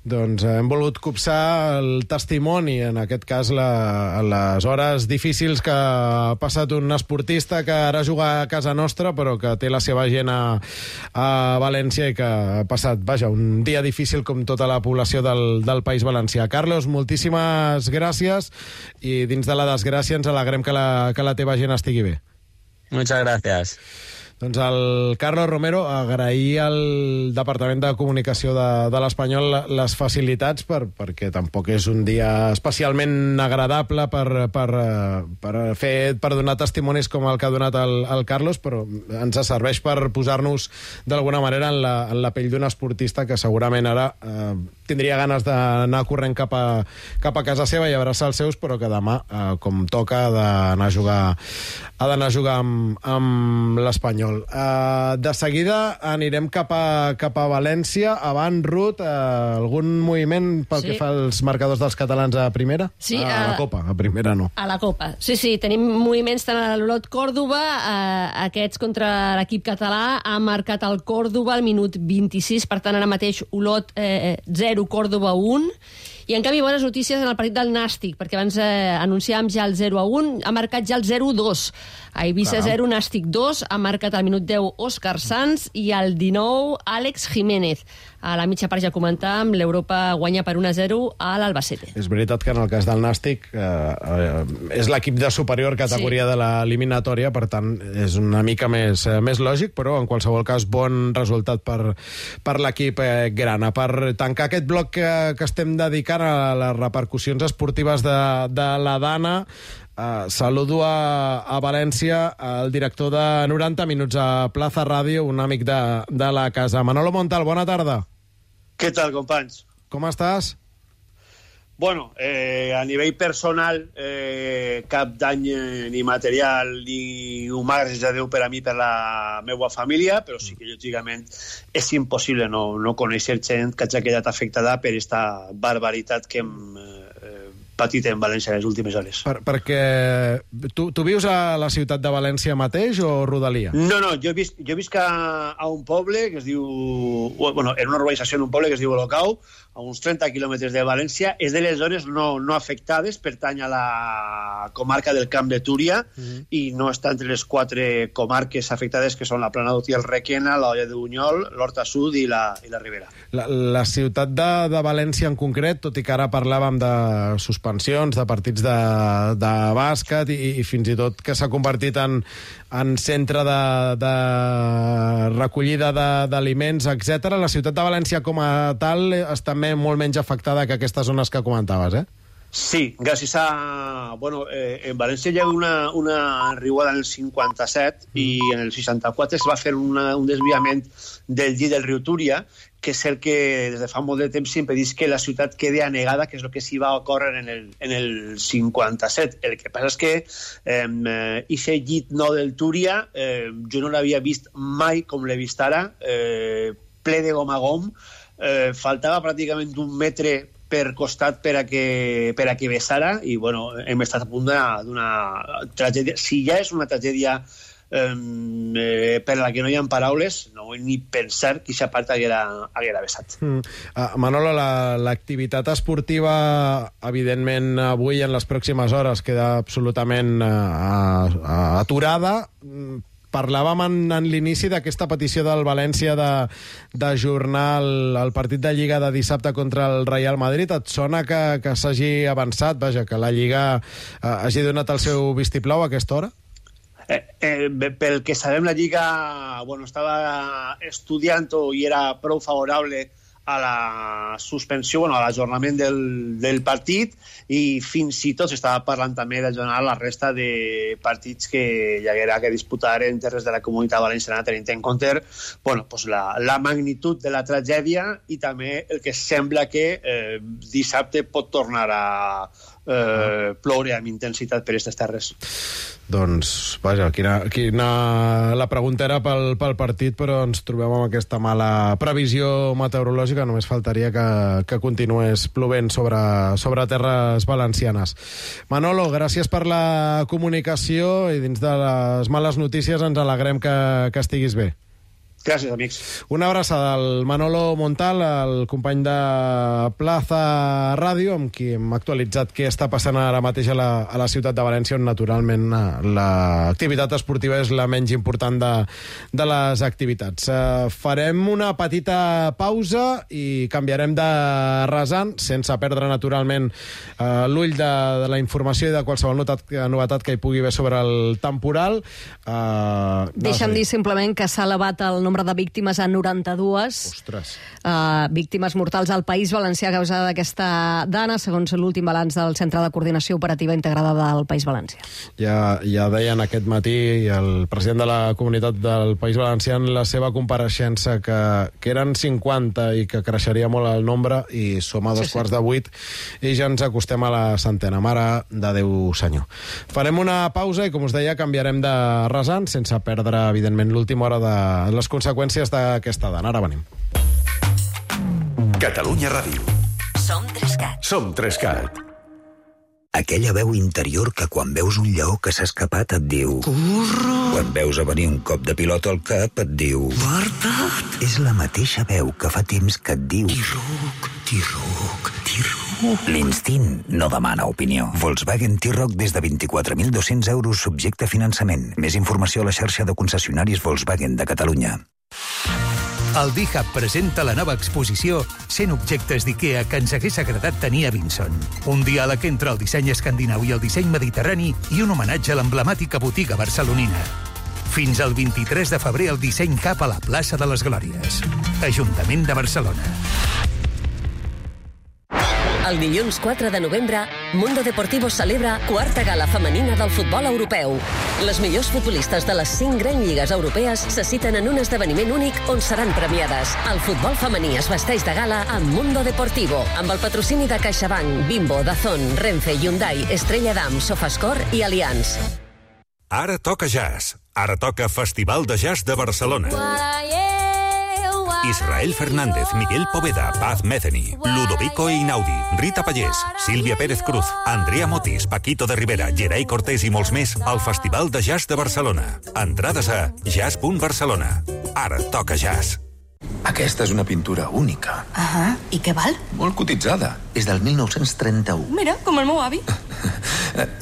Speaker 2: Doncs hem volgut copsar el testimoni, en aquest cas la, les hores difícils que ha passat un esportista que ara juga a casa nostra però que té la seva gent a, a València i que ha passat, vaja, un dia difícil com tota la població del, del País Valencià. Carlos, moltíssimes gràcies i dins de la desgràcia ens alegrem que la, que la teva gent estigui bé.
Speaker 15: Muchas gracias.
Speaker 2: Doncs el Carlos Romero, agrair al Departament de Comunicació de, de l'Espanyol les facilitats per, perquè tampoc és un dia especialment agradable per, per, per, fer, per donar testimonis com el que ha donat el, el Carlos, però ens serveix per posar-nos d'alguna manera en la, en la pell d'un esportista que segurament ara eh, tindria ganes d'anar corrent cap a, cap a casa seva i abraçar els seus, però que demà, eh, com toca, ha d'anar a jugar, ha d'anar a jugar amb, amb l'Espanyol. Uh, de seguida anirem cap a, cap a València. Abans, Ruth, uh, algun moviment pel
Speaker 5: Sí.
Speaker 2: que fa als marcadors dels catalans a primera?
Speaker 5: Sí,
Speaker 2: a la
Speaker 5: a-
Speaker 2: Copa, a primera no.
Speaker 5: A la Copa. Sí, sí, tenim moviments tant a l'Olot Còrdoba, eh, aquests contra l'equip català, ha marcat el Còrdoba al minut vint-i-sis, per tant ara mateix Olot eh, zero, Còrdoba un, i en canvi bones notícies en el partit del Nàstic, perquè abans eh, anunciàvem ja el zero a un, ha marcat ja el zero a dos. A Eivissa
Speaker 2: Caram.
Speaker 5: zero, Nàstic dos, ha marcat al minut deu Òscar Sanz i al dinou Àlex Jiménez. A la mitja part ja comentàvem, l'Europa guanya per un a zero a l'Albacete.
Speaker 2: És veritat que en el cas del Nàstic eh, eh, és l'equip de superior categoria
Speaker 5: Sí.
Speaker 2: de l'eliminatòria, per tant és una mica més, eh, més lògic, però en qualsevol cas bon resultat per, per l'equip eh, grana. Per tancar aquest bloc que, que estem dedicant a les repercussions esportives de, de la Dana, Uh, saludo a, a València el director de noranta minuts a Plaza Ràdio, un amic de, de la casa. Manolo Montal, bona tarda.
Speaker 16: Què tal, companys?
Speaker 2: Com estàs?
Speaker 16: Bueno, eh, a nivell personal, eh, cap dany eh, ni material ni humà, gràcies a Déu per a mi, per la meva família, però sí que, lògicament, és impossible no, no conèixer gent que hagi quedat afectada per esta barbaritat que hem eh, patit en València en les últimes hores.
Speaker 2: Per, perquè tu, tu vius a la ciutat de València mateix o rodalia?
Speaker 16: No, no, jo visc, jo visc a, a un poble que es diu... Bueno, en una urbanització en un poble que es diu Olocau, a uns trenta quilòmetres de València. És de les zones no, no afectades, pertany a la comarca del Camp de Túria, mm-hmm. i no està entre les quatre comarques afectades, que són la Plana d'Otí, el Requena, l'Olla de Bunyol, l'Horta Sud i la, i la Ribera.
Speaker 2: La, la ciutat de, de València en concret, tot i que ara parlàvem de suspensions, de partits de, de bàsquet i, i fins i tot que s'ha convertit en, en centre de, de recollida d'aliments, etcètera. La ciutat de València com a tal està molt menys afectada que aquestes zones que comentaves, eh?
Speaker 16: Sí, gràcies a... Bueno, eh, en València hi ha una, una riuada en el cinquanta-set mm. i en el seixanta-quatre es va fer una, un desviament del llit del riu Túria, que és el que des de fa molt de temps impedís que la ciutat quedi anegada, que és el que s'hi va ocórrer en el, en el cinquanta-set. El que passa és que eh, ixe llit nou del Túria eh, jo no l'havia vist mai com l'he vist ara, eh, ple de gom a gom, eh, faltava pràcticament un metre per costat per a que, per a que vessara, i bueno, hem estat a punt d'una tragèdia. Si ja és una tragèdia eh, per a la que no hi ha paraules, no vull ni pensar que aquesta part haguera, haguera vessat. Mm.
Speaker 2: Uh, Manolo, l'activitat la, esportiva, evidentment, avui en les pròximes hores queda absolutament uh, aturada. Parlàvem en, en l'inici d'aquesta petició del València d'ajornar el, el partit de Lliga de dissabte contra el Real Madrid. Et sona que, que s'hagi avançat, vaja, que la Lliga eh, hagi donat el seu vistiplau a aquesta hora?
Speaker 16: Eh, eh, pel que sabem, la Lliga bueno, estava estudiant-ho i era prou favorable a la suspensió, bueno, a l'ajornament del, del partit, i fins i tot s'estava parlant també d'ajornar la resta de partits que hi haguera que disputar en terres de la Comunitat Valenciana, tenint en compte bueno, pues la, la magnitud de la tragèdia i també el que sembla que eh, dissabte pot tornar a eh, ploure amb intensitat per aquestes terres.
Speaker 2: Doncs, vaja, quina, quina... la pregunta era pel, pel partit, però ens trobem amb aquesta mala previsió meteorològica. Només faltaria que, que continués plovent sobre, sobre terres valencianes. Manolo, gràcies per la comunicació, i dins de les males notícies ens alegrem que, que estiguis bé.
Speaker 16: Gràcies, amics.
Speaker 2: Una abraçada al Manolo Montal, el company de Plaza Ràdio, amb qui hem actualitzat què està passant ara mateix a la, a la ciutat de València, on naturalment l'activitat esportiva és la menys important de, de les activitats. Uh, farem una petita pausa i canviarem de rasant, sense perdre naturalment uh, l'ull de, de la informació i de qualsevol notat, novetat que hi pugui haver sobre el temporal. Uh,
Speaker 4: Deixa'm dir simplement que s'ha elevat el nombre de víctimes a noranta-dues.
Speaker 2: Ostres.
Speaker 4: Uh, víctimes mortals al País Valencià a causa d'aquesta dana, segons l'últim balanç del Centre de Coordinació Operativa Integrada del País Valencià.
Speaker 2: Ja, ja deien aquest matí el president de la Comunitat del País Valencià en la seva compareixença que, que eren cinquanta i que creixeria molt el nombre, i som a dos sí, quarts sí. de vuit i ja ens acostem a la centena. Mare de Déu senyor. Farem una pausa i, com us deia, canviarem de rasant, sense perdre, evidentment, l'última hora de les conseqüències d'aquesta dana. Ara venim.
Speaker 1: Catalunya Ràdio.
Speaker 17: Som Trescat.
Speaker 1: Som Trescat.
Speaker 17: Aquella veu interior que quan veus un lleó que s'ha escapat et diu... Corre! Quan veus a venir un cop de pilota al cap et diu... Guarda't! És la mateixa veu que fa temps que et diu... T-Roc, T-Roc, T-Roc... L'instint no demana opinió. Volkswagen T-Roc des de vint-i-quatre mil dos-cents euros subjecte a finançament. Més informació a la xarxa de concessionaris Volkswagen de Catalunya.
Speaker 18: El D-Hub presenta la nova exposició cent objectes d'IKEA que ens hagués agradat tenir a Vinson. Un diàleg entre el disseny escandinau i el disseny mediterrani i un homenatge a l'emblemàtica botiga barcelonina. Fins al vint-i-tres de febrer el disseny cap a la plaça de les Glòries. Ajuntament de Barcelona.
Speaker 19: El dilluns quatre de novembre, Mundo Deportivo celebra quarta gala femenina del futbol europeu. Les millors futbolistes de les cinc grans lligues europees se citen en un esdeveniment únic on seran premiades. El futbol femení es vesteix de gala amb Mundo Deportivo, amb el patrocini de CaixaBank, Bimbo, Dazón, Renfe, Hyundai, Estrella Damm, Sofascor i Allianz.
Speaker 1: Ara toca jazz. Ara toca Festival de Jazz de Barcelona.
Speaker 20: Israel Fernández, Miguel Poveda, Paz Metheny, Ludovico Einaudi, Rita Pallés, Sílvia Pérez Cruz, Andrea Motis, Paquito de Rivera, Gerai Cortés i molts més al Festival de Jazz de Barcelona. Entrades a jazz punt barcelona. Ara toca jazz.
Speaker 21: Aquesta és una pintura única.
Speaker 22: Ah, i què val?
Speaker 21: Molt cotitzada. És del mil nou-cents trenta-u.
Speaker 22: Mira, com el meu avi.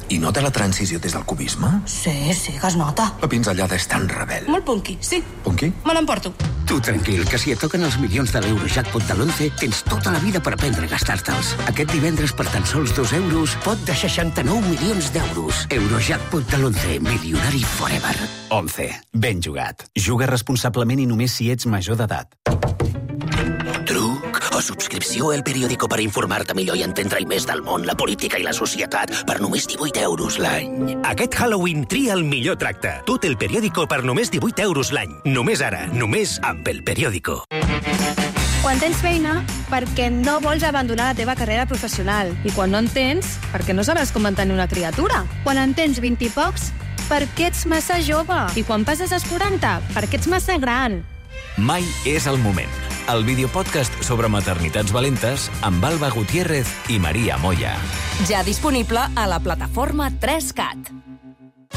Speaker 21: I nota la transició des del cubisme?
Speaker 22: Sí, sí, que es nota.
Speaker 21: La pinzellada és tan rebel.
Speaker 22: Molt punky, sí.
Speaker 21: Punky?
Speaker 22: Me l'emporto.
Speaker 23: Tu tranquil, que si et toquen els milions de l'Eurojackpot de l'onze, tens tota la vida per aprendre a gastar-te'ls. Aquest divendres, per tan sols dos euros, pot de seixanta-nou milions d'euros. Eurojackpot de l'onze, milionari forever.
Speaker 24: once. Ben jugat. Juga responsablement i només si ets major d'edat.
Speaker 23: Truc o subscripció al periòdico per informar-te millor i entendre-hi més del món, la política i la societat per només divuit euros l'any.
Speaker 25: Aquest Halloween tria el millor tracte. Tot el periòdico per només divuit euros l'any. Només ara, només amb el periòdico.
Speaker 26: Quan tens feina, perquè no vols abandonar la teva carrera professional.
Speaker 27: I quan no en tens, perquè no sabràs com mantenir una criatura.
Speaker 26: Quan en tens vint i pocs, perquè ets massa jove.
Speaker 27: I quan passes als quaranta, perquè ets massa gran.
Speaker 24: Mai és el moment. El videopodcast sobre maternitats valentes amb Alba Gutiérrez i Maria Moya.
Speaker 28: Ja disponible a la plataforma tres cat.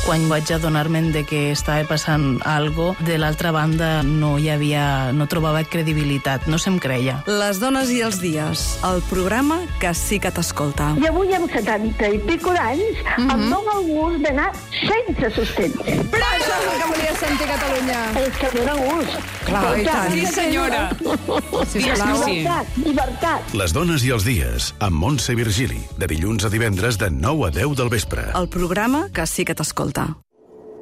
Speaker 29: Quan vaig adonar-me'n de que estava passant algo, de l'altra banda no hi havia, no trobava credibilitat, no se'm creia.
Speaker 28: Les dones i els dies, el programa que sí que t'escolta.
Speaker 30: I avui amb setanta i pico d'anys mm -hmm. em dóna el gust d'anar sense sostens.
Speaker 27: Però això és el que volia sentir Catalunya.
Speaker 30: És que dóna gust.
Speaker 28: Clar,
Speaker 30: i
Speaker 28: tant. Sí, senyora.
Speaker 30: Sisplau. Llibertat, llibertat.
Speaker 1: Les dones i els dies, amb Montse Virgili, de dilluns a divendres de nou a deu del vespre.
Speaker 28: El programa que sí que t'escolta.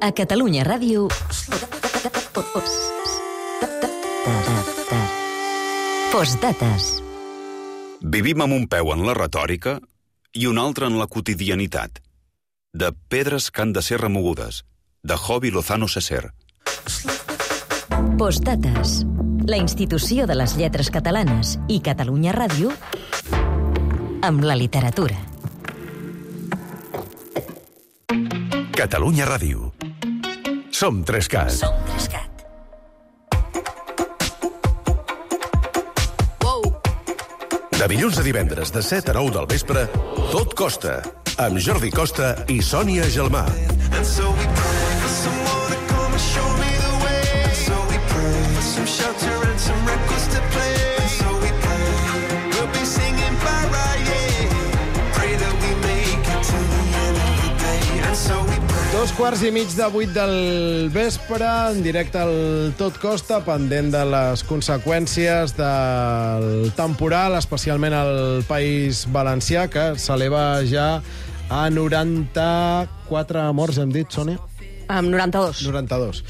Speaker 19: A Catalunya Ràdio... Postdates.
Speaker 31: Vivim amb un peu en la retòrica i un altre en la quotidianitat. De pedres que han de ser remogudes, de Jovi Lozano Seser.
Speaker 19: Postdates. La institució de les lletres catalanes i Catalunya Ràdio amb la literatura.
Speaker 1: Catalunya Ràdio. Som tres cat.
Speaker 19: Som tres cat.
Speaker 1: De dilluns a divendres, de set a nou del vespre, Tot Costa, amb Jordi Costa i Sònia Gelmà.
Speaker 2: Dos quarts i mig de vuit del vespre, en directe al Tot Costa, pendent de les conseqüències del temporal, especialment al País Valencià, que s'eleva ja a noranta-quatre morts, hem dit, Sònia?
Speaker 4: Amb noranta-dos.
Speaker 2: noranta-dos.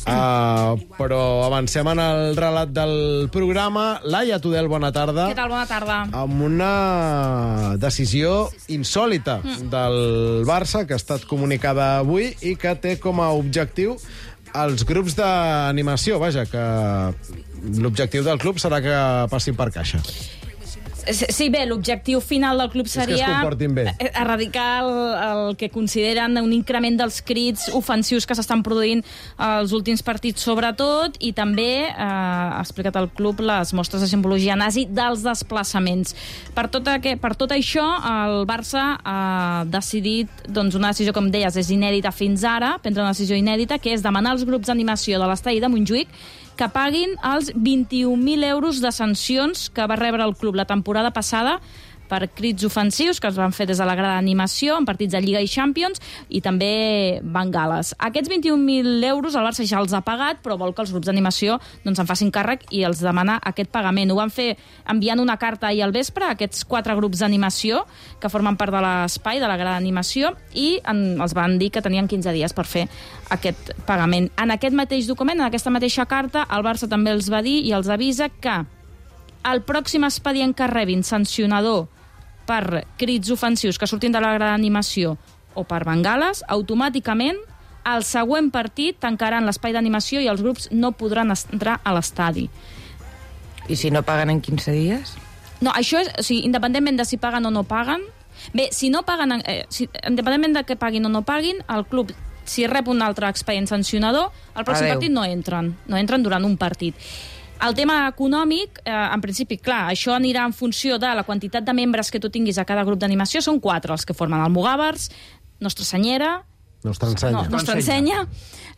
Speaker 2: Uh, però avancem en el relat del programa. Laia Tudel, bona tarda.
Speaker 32: Què tal? Bona tarda.
Speaker 2: Amb una decisió insòlita mm. del Barça, que ha estat comunicada avui i que té com a objectiu els grups d'animació. Vaja, que l'objectiu del club serà que passin per caixa.
Speaker 32: Sí, bé, l'objectiu final del club seria erradicar el, el que consideren un increment dels crits ofensius que s'estan produint als últims partits, sobretot, i també eh, ha explicat el club les mostres de simbologia nazi dels desplaçaments. Per tot, aquest, per tot això, el Barça ha decidit, doncs una decisió, com deies, és inèdita fins ara, prendre una decisió inèdita, que és demanar als grups d'animació de l'estadi de Montjuïc que paguin els vint-i-un mil euros de sancions que va rebre el club la temporada passada per crits ofensius que es van fer des de la grada d'animació en partits de Lliga i Champions i també bengales. Aquests vint-i-un mil euros el Barça ja els ha pagat, però vol que els grups d'animació doncs, en facin càrrec i els demana aquest pagament. Ho van fer enviant una carta ahir al vespre a aquests quatre grups d'animació que formen part de l'espai, de la grada d'animació, i en, els van dir que tenien quinze dies per fer aquest pagament. En aquest mateix document, en aquesta mateixa carta, el Barça també els va dir i els avisa que el pròxim expedient que rebin sancionador per crits ofensius que surtin de la grada d'animació o per bengales, automàticament al següent partit tancaran l'espai d'animació i els grups no podran entrar a l'estadi.
Speaker 33: I si no paguen en quinze dies?
Speaker 32: No, això és, o sigui, independentment de si paguen o no paguen, bé, si no paguen, eh, si, independentment de que paguin o no paguin, el club, si rep un altre expedient sancionador, el pròxim
Speaker 33: Adeu.
Speaker 32: partit no entren, no entren durant un partit. El tema econòmic, eh, en principi, clar, això anirà en funció de la quantitat de membres que tu tinguis a cada grup d'animació. Són quatre els que formen Almogàvers, Nostra Senyera,
Speaker 2: Nostra Ensenya,
Speaker 32: no, Nostra Ensenya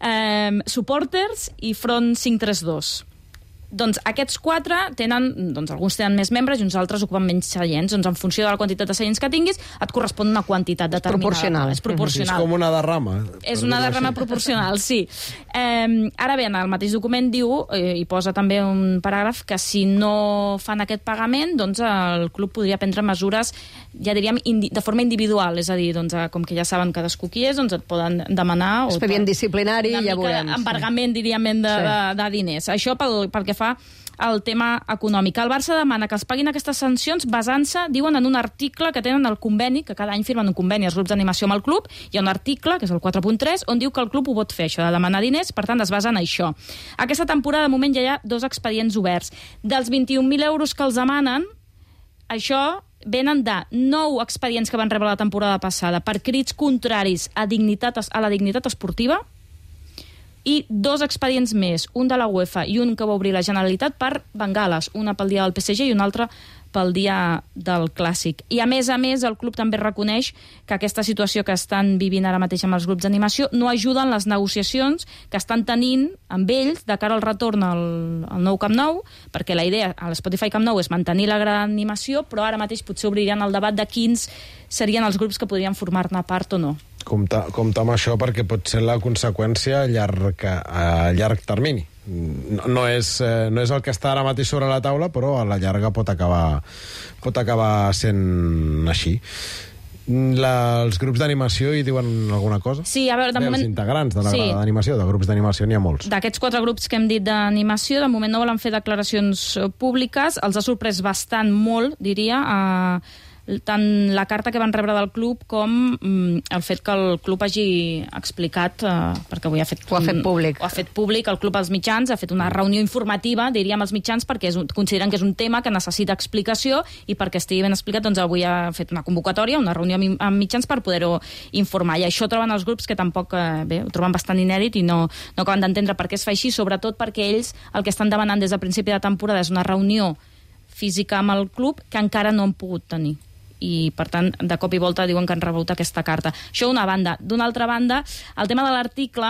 Speaker 32: eh, Supporters i Front cinc tres dos. Doncs aquests quatre tenen, doncs alguns tenen més membres i uns altres ocupen menys seients. Doncs en funció de la quantitat de seients que tinguis, et correspon una quantitat determinada.
Speaker 4: Proporcional.
Speaker 32: És proporcional.
Speaker 2: És com una derrama.
Speaker 32: És una derrama proporcional, sí. Eh, ara bé, en el mateix document diu, eh, i posa també un paràgraf, que si no fan aquest pagament, doncs el club podria prendre mesures, ja diríem, de forma individual. És a dir, doncs, com que ja saben cadascú qui és, doncs et poden demanar...
Speaker 4: Expedient disciplinari, ja veurem.
Speaker 32: Embargament, diríem, de, sí. de, de diners. Això pel, pel que fa el tema econòmic. El Barça demana que els paguin aquestes sancions basant-se, diuen, en un article que tenen al conveni, que cada any firmen un conveni els grups d'animació amb el club. Hi ha un article, que és el quatre punt tres, on diu que el club ho pot fer, això de demanar diners, per tant es basa en això. Aquesta temporada, de moment, ja hi ha dos expedients oberts. Dels vint-i-un mil euros que els demanen, això venen de nou expedients que van rebre la temporada passada per crits contraris a, dignitat, a la dignitat esportiva, i dos expedients més, un de la UEFA i un que va obrir la Generalitat per bengales, una pel dia del P S G i una altra pel dia del Clàssic. I a més a més, el club també reconeix que aquesta situació que estan vivint ara mateix amb els grups d'animació no ajuden les negociacions que estan tenint amb ells de cara al retorn al, al nou Camp Nou, perquè la idea a l'Spotify Camp Nou és mantenir la gran animació, però ara mateix potser obriran el debat de quins serien els grups que podrien formar-ne part o no.
Speaker 2: Compte, compte amb això, perquè pot ser la conseqüència a llarg, a llarg termini. No, no, és, no és el que està ara mateix sobre la taula, però a la llarga pot acabar, pot acabar sent així. La, els grups d'animació hi diuen alguna cosa?
Speaker 32: Sí, a veure, de
Speaker 2: Bé,
Speaker 32: moment...
Speaker 2: Els integrants de la
Speaker 32: sí.
Speaker 2: grada d'animació, de grups d'animació n'hi ha molts.
Speaker 32: D'aquests quatre grups que hem dit d'animació, de moment no volen fer declaracions públiques. Els ha sorprès bastant molt, diria, a... tant la carta que van rebre del club com mm, el fet que el club hagi explicat, eh, perquè avui ha fet,
Speaker 4: ho ha fet públic.
Speaker 32: Ho ha fet públic, el club als mitjans, ha fet una reunió informativa, diríem, als mitjans, perquè és un, consideren que és un tema que necessita explicació i perquè estigui ben explicat, doncs avui ha fet una convocatòria, una reunió amb mitjans per poder-ho informar. I això troben els grups que tampoc, eh, bé, ho troben bastant inèdit i no, no acaben d'entendre per què es fa així, sobretot perquè ells el que estan demanant des del principi de temporada és una reunió física amb el club que encara no han pogut tenir. I, per tant, de cop i volta diuen que han rebut aquesta carta. Això una banda. D'una altra banda, el tema de l'article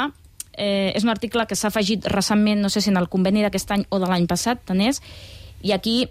Speaker 32: eh, és un article que s'ha afegit recentment, no sé si en el conveni d'aquest any o de l'any passat, tant és, i aquí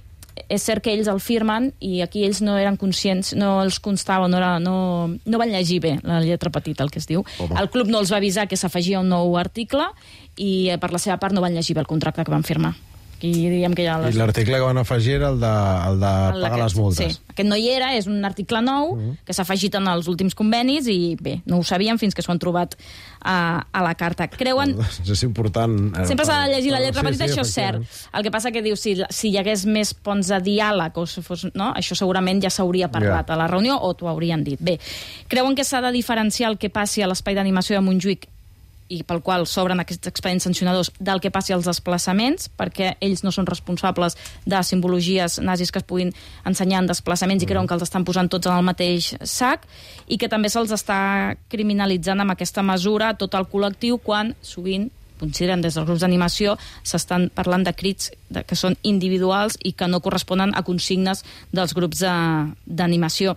Speaker 32: és cert que ells el firmen i aquí ells no eren conscients, no els constava, no, era, no, no van llegir bé la lletra petita, el que es diu. Home. El club no els va avisar que s'afegia un nou article i per la seva part no van llegir bé el contracte que van firmar. I diríem que ja les...
Speaker 2: I l'article que van afegir era el de, el de el pagar aquest, les multes.
Speaker 32: Sí, aquest no hi era, és un article nou uh-huh. que s'ha afegit en els últims convenis i bé, no ho sabíem fins que s'ho han trobat a, a la carta. Creuen...
Speaker 2: És important...
Speaker 32: Sempre s'ha de llegir la lletra
Speaker 2: sí,
Speaker 32: petita,
Speaker 2: sí,
Speaker 32: això és cert. El que passa que diu, si, si hi hagués més ponts de diàleg, o si fos, no? Això segurament ja s'hauria parlat yeah. a la reunió o t'ho haurien dit. Bé, creuen que s'ha de diferenciar el que passi a l'espai d'animació de Montjuïc i pel qual s'obren aquests expedients sancionadors del que passi als desplaçaments, perquè ells no són responsables de simbologies nazis que es puguin ensenyar en desplaçaments i creuen que els estan posant tots en el mateix sac i que també se'ls està criminalitzant amb aquesta mesura tot el col·lectiu quan sovint consideren des dels grups d'animació s'estan parlant de crits de, que són individuals i que no corresponen a consignes dels grups d'animació.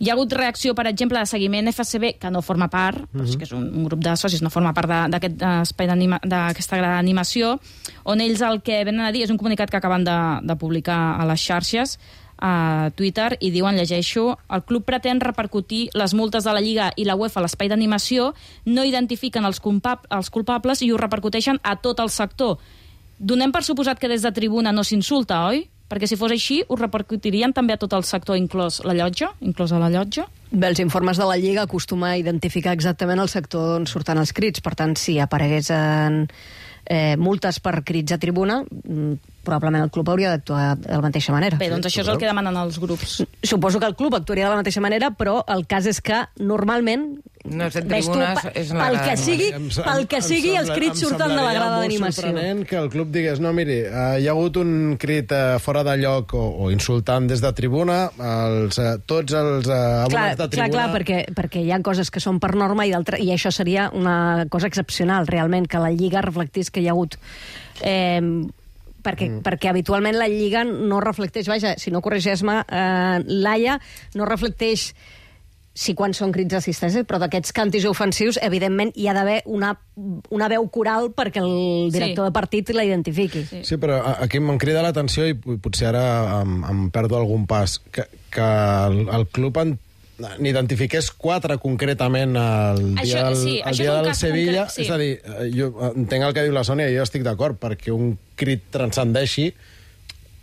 Speaker 32: Hi ha hagut reacció, per exemple, de seguiment F C B, que no forma part, mm-hmm. però que és un, un grup de socis, no forma part d'aquest espai d'aquesta gran animació, on ells el que venen a dir és un comunicat que acaben de, de publicar a les xarxes, a Twitter, i diuen, llegeixo, el club pretén repercutir les multes de la Lliga i la UEFA a l'espai d'animació, no identifiquen els, culpab els culpables i ho repercuteixen a tot el sector. Donem per suposat que des de tribuna no s'insulta, oi? Perquè si fos així, ho repercutirien també a tot el sector, inclòs la llotja, inclòs a la llotja?
Speaker 4: Bé, els informes de la Lliga acostuma a identificar exactament el sector on surten els crits, per tant, si apareguessin eh, multes per crits a tribuna, probablement el club hauria d'actuar de la mateixa manera.
Speaker 32: Bé, doncs això és el que demanen els grups.
Speaker 4: Suposo que el club actuaria de la mateixa manera, però el cas és que normalment
Speaker 33: no és en tribunes, tu, és en la
Speaker 4: pel
Speaker 33: grada.
Speaker 4: Que sigui, pel que sigui els crits surten de la grada d'animació.
Speaker 2: Em semblaria molt sorprenent que el club digués, no, miri, uh, hi ha hagut un crit uh, fora de lloc o, o insultant des de tribuna, els, uh, tots els uh, abonats de tribuna...
Speaker 4: Clar, clar, perquè, perquè hi ha coses que són per norma i, i això seria una cosa excepcional, realment, que la Lliga reflectís que hi ha hagut... Eh, perquè, mm. perquè habitualment la Lliga no reflecteix, vaja, si no corregeix-me, eh, Laia, no reflecteix sí quan són crits d'assistència, però d'aquests càntics ofensius, evidentment, hi ha d'haver una, una veu coral perquè el director sí. de partit la identifiqui.
Speaker 2: Sí, sí, però aquí em crida l'atenció, i potser ara em, em perdo algun pas, que, que el, el club en n'identifiqués quatre concretament el dia
Speaker 32: això,
Speaker 2: del,
Speaker 32: sí,
Speaker 2: el dia del Sevilla. Concret, sí. És a dir, jo entenc el que diu la Sònia i jo estic d'acord, perquè un crit transcendeixi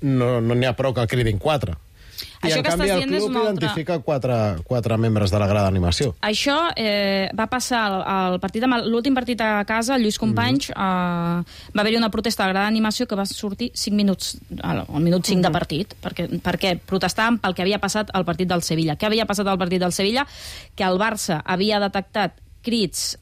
Speaker 2: no n'hi no ha prou que el cridin quatre. I
Speaker 32: això
Speaker 2: en canvi el club identifica altra... quatre, quatre membres de la grada d'animació.
Speaker 32: Això eh, va passar al partit, l'últim partit a casa, el Lluís Companys, mm-hmm. eh, va haver-hi una protesta a la grada d'animació que va sortir cinc minuts, al, al minut cinc mm-hmm. de partit, perquè, perquè protestaven pel que havia passat al partit del Sevilla. Què havia passat al partit del Sevilla? Que el Barça havia detectat crits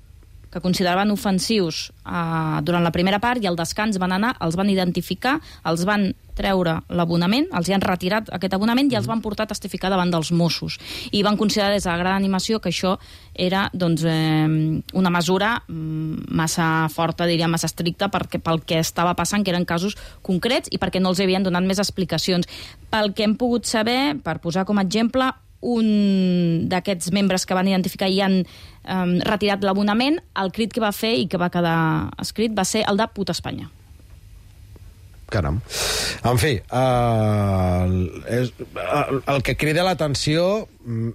Speaker 32: que consideraven ofensius eh, durant la primera part i al descans van anar, els van identificar, els van treure l'abonament, els hi han retirat aquest abonament i els van portar a testificar davant dels Mossos. I van considerar des de la gran animació que això era doncs, eh, una mesura massa forta, diria, massa estricta perquè, pel que estava passant, que eren casos concrets i perquè no els havien donat més explicacions. Pel que hem pogut saber, per posar com a exemple, un d'aquests membres que van identificar i han um, retirat l'abonament, el crit que va fer i que va quedar escrit va ser el de puta Espanya.
Speaker 2: Caram. En fi, uh, és, el, el que crida l'atenció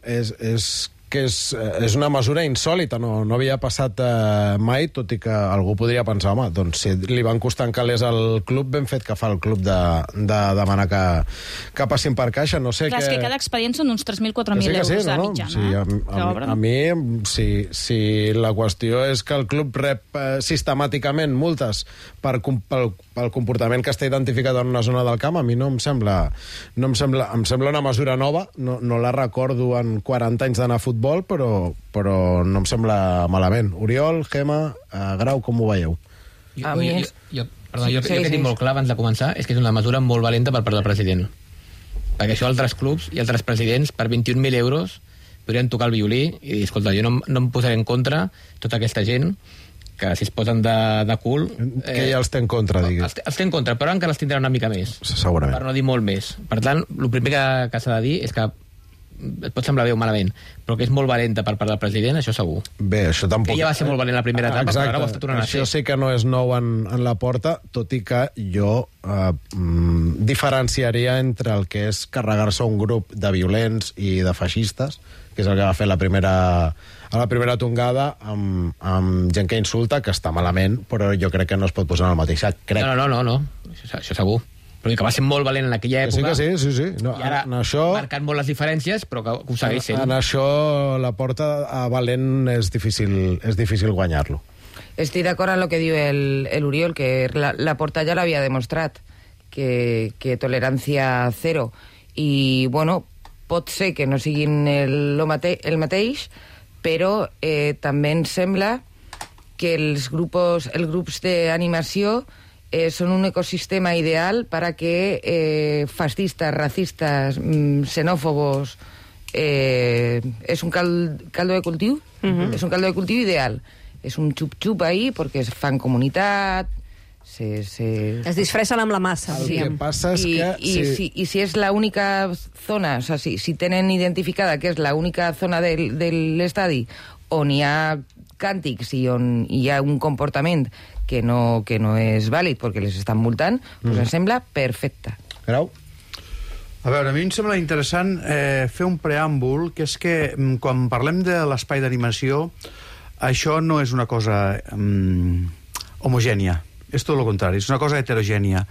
Speaker 2: és, és que és, és una mesura insòlita, no, no havia passat eh, mai, tot i que algú podria pensar, home, doncs si li van costant calés al club, ben fet que fa el club de, de demanar que, que passin per caixa, no sé
Speaker 32: Clar,
Speaker 2: que...
Speaker 32: és que cada expedient són uns tres mil quatre mil
Speaker 2: sí,
Speaker 32: euros
Speaker 2: sí,
Speaker 32: de
Speaker 2: no,
Speaker 32: mitjana.
Speaker 2: Sí, a, a, a, a mi, si, si la qüestió és que el club rep eh, sistemàticament multes per, pel, pel comportament que està identificat en una zona del camp, a mi no em sembla, no em sembla, em sembla una mesura nova, no, no la recordo en quaranta anys d'anar a futbol, però, però no em sembla malament. Oriol, Gemma, eh, Grau, com ho veieu?
Speaker 3: Jo, a mi és... jo, jo, perdó, jo, sí, jo, jo que sí, tinc sí. molt clar abans de començar és que és una mesura molt valenta per part del president. Perquè això altres clubs i altres presidents per vint-i-un mil euros podrien tocar el violí i dir, escolta, jo no, no em posaré en contra tota aquesta gent que si es posen de, de cul...
Speaker 2: Eh, que ja els té en contra, digues.
Speaker 3: Els, els té en contra, però encara els tindrà una mica més.
Speaker 2: Segurament.
Speaker 3: Per no dir molt més. Per tant, el primer que, que s'ha de dir és que et pot semblar bé o malament, però que és molt valenta per part del president, això segur.
Speaker 2: Bé, això tampoc...
Speaker 3: Que ja va ser molt valent la primera etapa,
Speaker 2: exacte.
Speaker 3: Però ara ho està tornant a ser.
Speaker 2: Això sí que no és nou en, en la porta, tot i que jo eh, mm, diferenciaria entre el que és carregar-se un grup de violents i de feixistes, que és el que va fer la primera, a la primera tongada amb, amb gent que insulta, que està malament, però jo crec que no es pot posar en el mateix sac. Crec.
Speaker 3: No, no, no, no, no. Això, això segur. Però que va ser molt valent en aquella època.
Speaker 2: Sí que sí, sí, sí. No,
Speaker 3: I ara
Speaker 2: en això,
Speaker 3: marcant molt les diferències, però que, que ho segueix sent.
Speaker 2: En, en això la porta a valent és difícil, és difícil guanyar-lo.
Speaker 33: Estic d'acord amb el que diu el, el Oriol, que la, la porta ja l'havia demostrat, que, que tolerància zero. I, bueno, pot ser que no siguin el, el, mate, el mateix, però eh, també em sembla que els grupos, els grups d'animació Eh, son un ecosistema ideal para que eh, fascistas, racistas, mm, xenófobos, eh, es un cal, caldo de cultiu, uh-huh. es un caldo de cultiu ideal. És un xup-xup ahí perquè es fan comunitat, se, se...
Speaker 4: es disfressen amb la massa.
Speaker 2: El que passa és
Speaker 33: I,
Speaker 2: que...
Speaker 33: I, si... Si, I si és l'única zona, o sea, si, si tenen identificada que és l'única zona del, de l'estadi on hi ha càntics i on hi ha un comportament que no, que no és vàlid perquè les estan multant, mm. doncs em sembla perfecte.
Speaker 2: Grau?
Speaker 5: A veure, a mi em sembla interessant eh, fer un preàmbul, que és que quan parlem de l'espai d'animació, això no és una cosa um, homogènia. És tot el contrari, és una cosa heterogènia.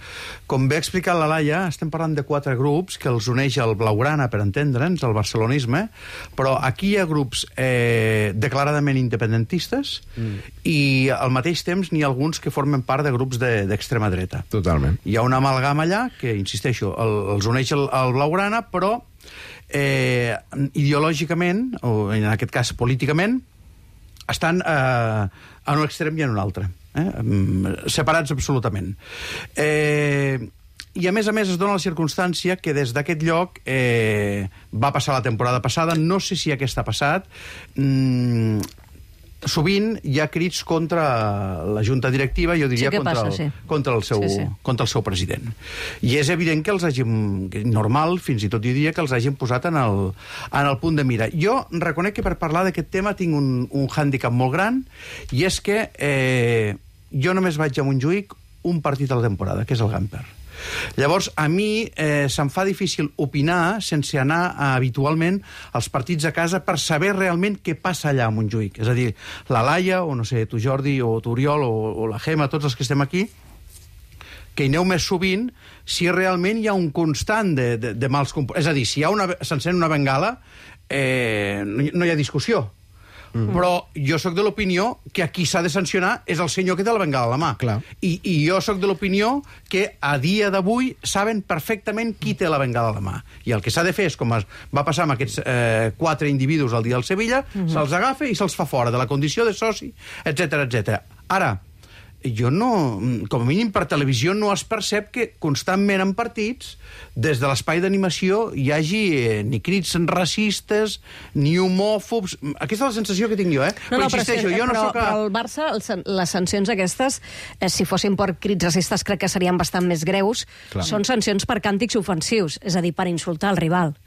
Speaker 5: Com bé ha explicat la Laia, estem parlant de quatre grups que els uneix el blaugrana, per entendre'ns, el barcelonisme, però aquí hi ha grups eh, declaradament independentistes mm. i al mateix temps n'hi ha alguns que formen part de grups d'extrema de, dreta.
Speaker 2: Totalment.
Speaker 5: Hi ha una amalgama allà que, insisteixo, el, els uneix el, el blaugrana, però eh, ideològicament, o en aquest cas políticament, estan eh, en un extrem i en un altre. Eh? Separats absolutament. Eh, I a més a més es dona la circumstància que des d'aquest lloc eh, va passar la temporada passada, no sé si aquesta ha passat, mm, sovint hi ha crits contra la junta directiva, jo diria
Speaker 4: sí
Speaker 5: contra,
Speaker 4: passa,
Speaker 5: el,
Speaker 4: sí.
Speaker 5: contra, el seu, sí, sí. contra el seu president. I és evident que els hàgim, normal, fins i tot jo diria que els hàgim posat en el, en el punt de mira. Jo reconec que per parlar d'aquest tema tinc un, un hàndicap molt gran, i és que eh, jo només vaig a Montjuïc un partit a la temporada, que és el Gamper. Llavors, a mi eh, se'm fa difícil opinar sense anar a, habitualment als partits a casa per saber realment què passa allà a Montjuïc. És a dir, la Laia, o no sé, tu Jordi, o tu Oriol, o, o la Gemma, tots els que estem aquí, que hi aneu més sovint, si realment hi ha un constant de, de, de mals comportaments. És a dir, si hi ha una, s'encén una bengala, eh, no, no hi ha discussió. Mm. Però jo sóc de l'opinió que aquí s'ha de sancionar és el senyor que té la bengala a la mà.
Speaker 2: Clar.
Speaker 5: I, I jo sóc de l'opinió que a dia d'avui saben perfectament qui té la bengala a la mà. I el que s'ha de fer és, com es va passar amb aquests eh, quatre individus al dia del Sevilla, mm-hmm. se'ls agafa i se'ls fa fora de la condició de soci, etcètera, etcètera. Ara, jo no, com a mínim per televisió no es percep que constantment en partits, des de l'espai d'animació, hi hagi eh, ni crits racistes, ni homòfobs. Aquesta és la sensació que tinc jo, eh?
Speaker 4: No, no,
Speaker 5: però insisteixo,
Speaker 4: però,
Speaker 5: jo no
Speaker 4: però,
Speaker 5: soc... A...
Speaker 4: però el Barça, el, les sancions aquestes, eh, si fossin per crits racistes, crec que serien bastant més greus. Clar. Són sancions per càntics ofensius, és a dir, per insultar el rival.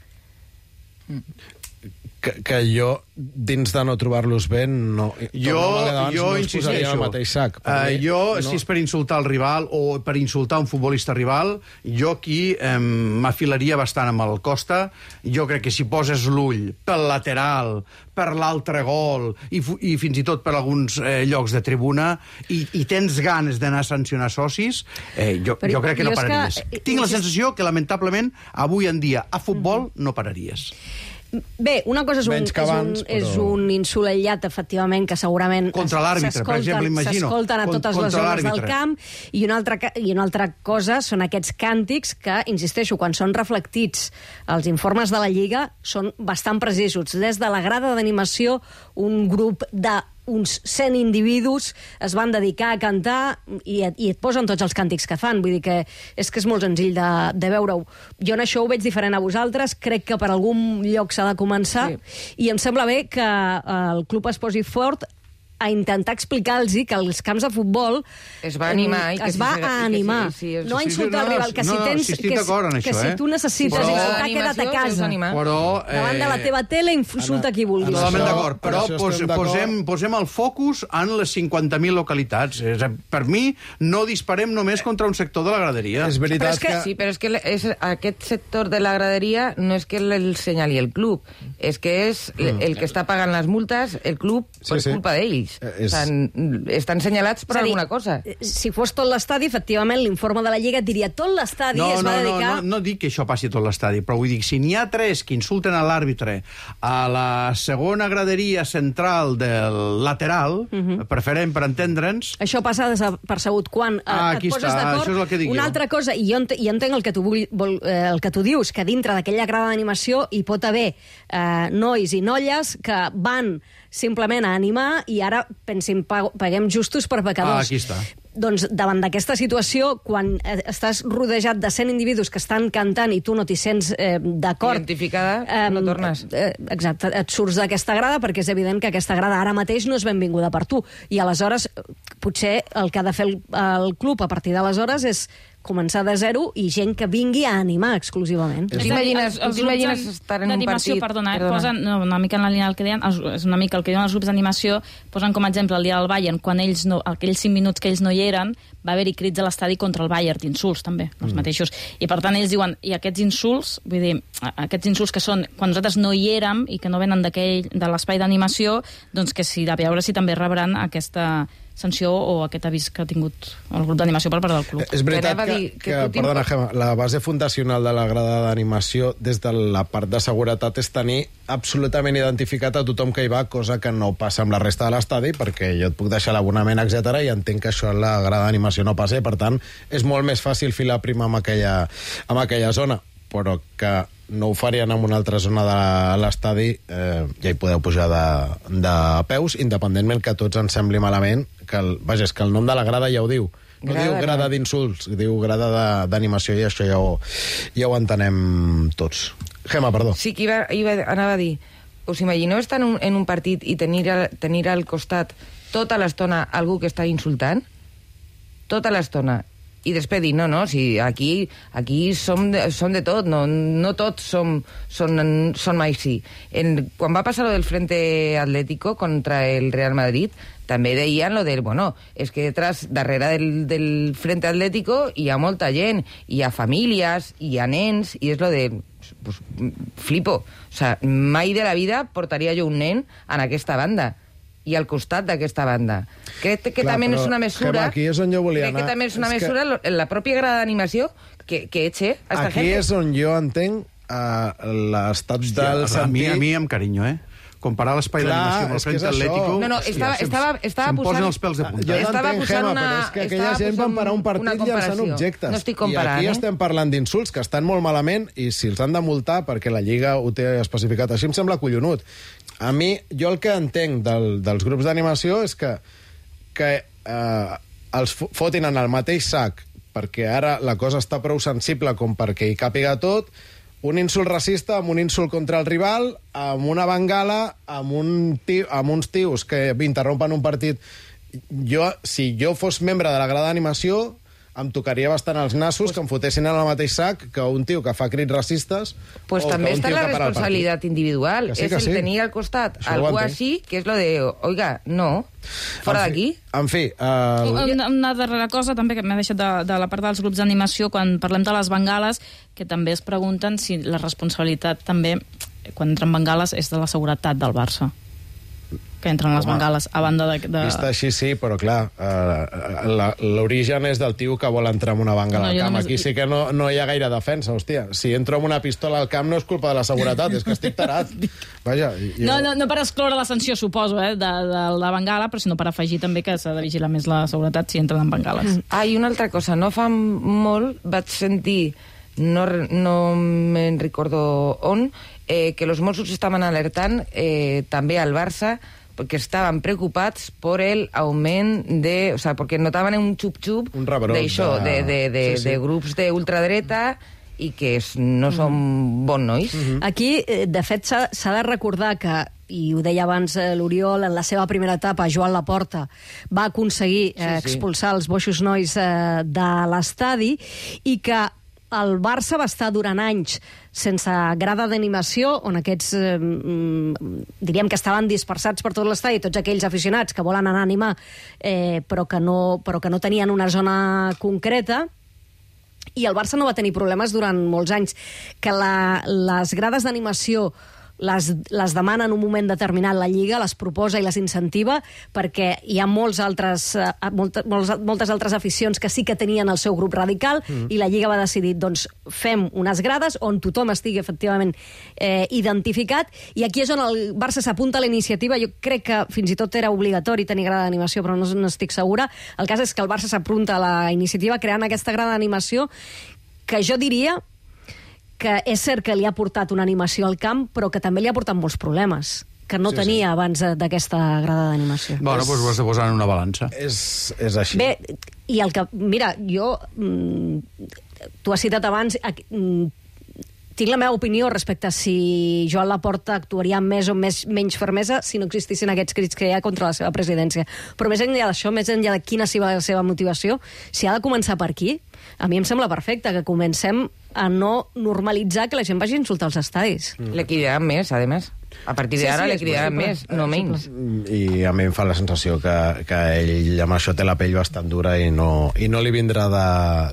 Speaker 2: Que, que jo, dins de no trobar-los bé, no...
Speaker 5: Jo,
Speaker 2: abans,
Speaker 5: jo
Speaker 2: no
Speaker 5: insisteixo.
Speaker 2: Al mateix sac.
Speaker 5: Uh, jo, no. Si és per insultar el rival o per insultar un futbolista rival, jo aquí eh, m'afilaria bastant amb el Costa. Jo crec que si poses l'ull pel lateral, per l'altre gol i, i fins i tot per alguns eh, llocs de tribuna i, i tens ganes d'anar a sancionar socis, eh, jo, jo crec que no pararies. Que... Tinc la sensació que, lamentablement, avui en dia, a futbol, mm-hmm. no pararies.
Speaker 4: Bé, una cosa és un,
Speaker 2: abans,
Speaker 4: és, un, és
Speaker 2: però...
Speaker 4: un insult aïllat, efectivament, que segurament...
Speaker 5: Contra l'àrbitre, per exemple, imagino.
Speaker 4: S'escolten a totes les zones del camp, i una, altra, i una altra cosa són aquests càntics que, insisteixo, quan són reflectits als informes de la Lliga, són bastant precisos. Des de la grada d'animació, un grup de uns cent individus es van dedicar a cantar i et, i et posen tots els càntics que fan. Vull dir que és que és molt senzill de, de veure-ho. Jo en això ho veig diferent a vosaltres. Crec que per algun lloc s'ha de començar, sí. I em sembla bé que el club es posi fort a intentar explicar-los que els camps de futbol
Speaker 33: es va animar,
Speaker 4: eh, es va
Speaker 33: si,
Speaker 4: a animar,
Speaker 33: si, si, si,
Speaker 4: no a insultar el rival, que si
Speaker 5: no,
Speaker 4: tens
Speaker 5: si
Speaker 4: que,
Speaker 5: en
Speaker 4: que
Speaker 5: això,
Speaker 4: si
Speaker 5: eh?
Speaker 4: tu necessites però, insultar, queda't a casa.
Speaker 5: Però, eh,
Speaker 4: davant de la teva tele insulta qui vulguis.
Speaker 5: Totalment d'acord, però pos, posem, posem el focus en les cinquanta mil localitats. És, per mi, no disparem només contra un sector de la graderia.
Speaker 33: És veritat però és que... que... Sí, però és que és, aquest sector de la graderia no és que el senyali el club, és que és mm. el que està pagant les multes, el club, per sí, sí. culpa d'ells. És... Estan, estan senyalats per dir, alguna cosa.
Speaker 4: Si fos tot l'estadi, efectivament, l'informe de la Lliga et diria tot l'estadi
Speaker 5: no,
Speaker 4: es va
Speaker 5: no,
Speaker 4: dedicar...
Speaker 5: No, no, no dic que això passi a tot l'estadi, però vull dir, si n'hi ha tres que insulten a l'àrbitre a la segona graderia central del lateral, uh-huh. preferent per entendre'ns...
Speaker 4: Això passa desapercebut quan
Speaker 5: ah,
Speaker 4: et poses
Speaker 5: està,
Speaker 4: d'acord.
Speaker 5: Això és el que dic
Speaker 4: Una
Speaker 5: jo.
Speaker 4: altra cosa, i jo, ent jo entenc el que, tu vull, vol, eh, el que tu dius, que dintre d'aquella grada d'animació hi pot haver eh, nois i nolles que van simplement a animar i ara, pensin, paguem justos per pecadors.
Speaker 5: Ah, aquí està.
Speaker 4: Doncs davant d'aquesta situació, quan estàs rodejat de cent individus que estan cantant i tu no t'hi sents eh, d'acord...
Speaker 33: Identificada, eh, no tornes.
Speaker 4: Eh, exacte, et surts d'aquesta grada perquè és evident que aquesta grada ara mateix no és benvinguda per tu. I aleshores, potser el que ha de fer el, el club a partir d'aleshores és començar de zero i gent que vingui a animar exclusivament.
Speaker 33: T'imagines estar en un partit...
Speaker 32: Perdona, eh, perdona. Posen, no, una mica en la línia del que deien, és una mica el que diuen els grups d'animació, posen com a exemple el dia del Bayern, quan ells no, aquells cinc minuts que ells no hi eren, va haver-hi crits a l'estadi contra el Bayern, d'insults també, els mm. mateixos. I per tant ells diuen, i aquests insults, vull dir, aquests insults que són quan nosaltres no hi érem i que no venen de l'espai d'animació, doncs que si de veure si també rebran aquesta sanció o aquest avís que ha tingut el grup d'animació per part del club.
Speaker 2: És veritat que, que, que, que perdona, Gemma, la base fundacional de la grada d'animació des de la part de seguretat és tenir absolutament identificat a tothom que hi va, cosa que no passa amb la resta de l'estadi, perquè jo et puc deixar l'abonament, etcètera, i entenc que això en la grada d'animació no passa, per tant, és molt més fàcil filar prima amb aquella, amb aquella zona, però que no ho farien en una altra zona de l'estadi, eh, ja hi podeu pujar de, de peus, independentment que tots ens sembli malament, que el, vaja, és que el nom de la grada ja ho diu. No grada, diu grada d'insults, diu grada d'animació, i això ja ho, ja ho entenem tots. Gemma, perdó.
Speaker 33: Sí, que iba, iba, anava a dir, us imagineu estar en un, en un partit i tenir, tenir al costat tota l'estona algú que està insultant? Tota l'estona. I després dir, no, no, si aquí, aquí som, de, som de tot, no, no tots som, són, són mai sí. En, quan va passar lo del Frente Atlético contra el Real Madrid, també deien lo del, bueno, és que detrás, darrere del, del Frente Atlético hi ha molta gent, hi ha famílies, hi ha nens, i és lo de... Pues, flipo. O sea, mai de la vida portaria jo un nen en aquesta banda i al costat d'aquesta banda. Crec que
Speaker 2: Clar,
Speaker 33: també és una mesura...
Speaker 2: Aquí és on jo volia
Speaker 33: crec
Speaker 2: anar.
Speaker 33: que també és una
Speaker 2: és
Speaker 33: mesura,
Speaker 2: que...
Speaker 33: la pròpia grada d'animació, que, que eche a esta
Speaker 2: aquí
Speaker 33: gente.
Speaker 2: és on jo entenc uh, l'estat del
Speaker 5: a mi,
Speaker 2: sentir...
Speaker 5: a mi amb carinyo, eh? Comparar l'espai d'animació amb el Frente Atlético...
Speaker 33: No, no, estava,
Speaker 5: hòstia,
Speaker 33: estava, estava
Speaker 5: se'm
Speaker 33: posant...
Speaker 5: posen els pèls de punta.
Speaker 2: Jo
Speaker 33: estava
Speaker 2: t'entenc,
Speaker 33: posant
Speaker 2: Gemma,
Speaker 33: una,
Speaker 2: però és que aquella
Speaker 33: estava
Speaker 2: gent van parar un
Speaker 33: posant una
Speaker 2: partit llançant
Speaker 33: comparació.
Speaker 2: objectes.
Speaker 33: No estic comparant,
Speaker 2: I aquí
Speaker 33: eh?
Speaker 2: estem parlant d'insults que estan molt malament i si els han de multar, perquè la Lliga ho té especificat així, em sembla collonut. A mi, jo el que entenc del, dels grups d'animació és que, que eh, els fotin en el mateix sac perquè ara la cosa està prou sensible com perquè hi càpiga tot, un insult racista amb un insult contra el rival, amb una bengala, amb, un tio, amb uns tios que interrompen un partit. Jo, si jo fos membre de la grada d'animació, em tocaria bastant els nassos que em fotessin en el mateix sac que un tio que fa crits racistes.
Speaker 33: Pues també està la responsabilitat individual.
Speaker 2: Que sí,
Speaker 33: és
Speaker 2: que
Speaker 33: el
Speaker 2: sí.
Speaker 33: tenir al costat
Speaker 2: Això
Speaker 33: algú
Speaker 2: ho entenc.
Speaker 33: així, que és lo de, oiga, no, fora d'aquí.
Speaker 2: En fi... Uh...
Speaker 32: Una, una darrera cosa també que m'ha deixat de, de la part dels grups d'animació, quan parlem de les bengales, que també es pregunten si la responsabilitat també, quan entren bengales, és de la seguretat del Barça. Que entren les
Speaker 2: Home,
Speaker 33: bengales a banda de... de...
Speaker 2: Vista així, sí, però clar, uh, l'origen és del tio que vol entrar amb una bengala
Speaker 33: No,
Speaker 2: al
Speaker 33: jo
Speaker 2: camp.
Speaker 33: només-
Speaker 2: Aquí sí que no, no hi ha gaire defensa, hòstia. Si entro amb una pistola al camp no és culpa de la seguretat, és que estic tarat. Vaja, jo...
Speaker 32: No, no, no per excloure la sanció, suposo, eh, de, de la bengala, però sinó per afegir també que s'ha de vigilar més la seguretat si entren en bengales.
Speaker 33: Ah, i una altra cosa, no fa molt vaig sentir, no, no me'n recordo on, eh, que los Mossos estaven alertant eh, també al Barça porque estaban preocupats por el augment de... O sea, porque notaven un xup-xup d'això, de, de, de,
Speaker 4: Sí, sí.
Speaker 33: de grups d'ultradreta i que és, no són bons nois.
Speaker 4: Aquí, eh, de fet, s'ha s'ha de recordar que, i ho deia abans eh, l'Oriol, en la seva primera etapa, Joan Laporta va aconseguir eh,
Speaker 33: Sí, sí.
Speaker 4: expulsar els boixos nois eh, de l'estadi i que el Barça va estar durant anys sense grada d'animació, on aquests, eh, mm, diríem que estaven dispersats per tot l'estadi, tots aquells aficionats que volen anar a animar, eh, però, que no, però que no tenien una zona concreta, i el Barça no va tenir problemes durant molts anys. Que la, les grades d'animació les, les demana en un moment determinat la Lliga, les proposa i les incentiva, perquè hi ha molts altres, eh, molta, molts, moltes altres aficions que sí que tenien el seu grup radical, mm. i la Lliga va decidir, doncs, fem unes grades on tothom estigui efectivament eh, identificat, i aquí és on el Barça s'apunta a la iniciativa. Jo crec que fins i tot era obligatori tenir grada d'animació, però no, no estic segura. El cas és que el Barça s'apunta a la iniciativa creant aquesta grada d'animació que jo diria que és cert que li ha portat una animació al camp, però que també li ha portat molts problemes que no
Speaker 5: Sí,
Speaker 4: sí, tenia
Speaker 5: sí.
Speaker 4: sí. abans d'aquesta grada d'animació.
Speaker 5: Bueno, doncs ho has de posar en una balança.
Speaker 2: És, és així.
Speaker 4: Bé, i el que... Mira, jo... Mm, tu has citat abans... Mm, tinc la meva opinió respecte a si Joan Laporta actuaria amb més o més, menys fermesa si no existissin aquests crits que hi ha contra la seva presidència. Però més enllà d'això, més enllà de quina sigui la seva motivació, si ha de començar per aquí, a mi em sembla perfecte que comencem a no normalitzar que la gent vagi a insultar els estadis.
Speaker 33: Mm. Le cridaran més, a més. A partir d'ara
Speaker 4: Sí, sí,
Speaker 33: le
Speaker 4: és
Speaker 33: cridaran
Speaker 4: possible.
Speaker 33: més, no menys.
Speaker 2: I a mi em fa la sensació que, que ell amb això té la pell bastant dura i no, i no li vindrà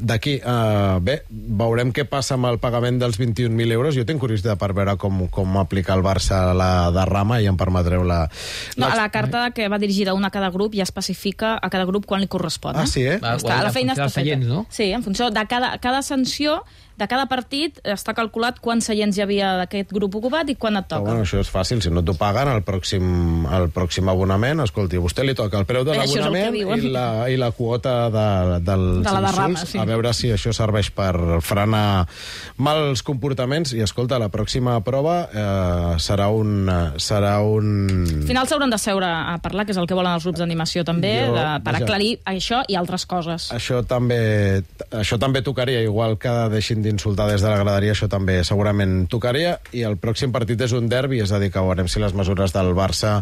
Speaker 2: d'aquí. Uh, bé, veurem què passa amb el pagament dels vint-i-un mil euros. Jo tinc curiositat per veure com, com aplica el Barça la derrama i em permetreu la...
Speaker 32: No, a la carta que va dirigida una a cada grup ja especifica a cada grup quan li correspon.
Speaker 2: Ah, sí, eh?
Speaker 32: Va, està, la feina està feta.
Speaker 3: Seients, no?
Speaker 32: Sí, en funció de cada, cada sanció, de cada partit, està calculat quants seients hi havia d'aquest grup ocupat i quan et toca.
Speaker 2: Però, bueno, això és fàcil, si no t'ho paguen el pròxim, el pròxim abonament, escolti, a vostè li toca el preu de
Speaker 32: Això és el que
Speaker 2: l'abonament
Speaker 32: diuen.
Speaker 2: i, la, i la quota de, dels
Speaker 32: De la derrama,
Speaker 2: insults,
Speaker 32: sí.
Speaker 2: a veure si això serveix per frenar mals comportaments, i escolta, la pròxima prova eh, serà un... Serà un...
Speaker 32: Al final s'hauran de seure a parlar, que és el que volen els grups d'animació també,
Speaker 2: Jo,
Speaker 32: de, per
Speaker 2: vaja.
Speaker 32: aclarir això i altres coses.
Speaker 2: Això també, això també tocaria, igual que deixin d'insultar des de la graderia, això també segurament tocaria, i el pròxim partit és un derbi, és a dir, que veurem si les mesures del Barça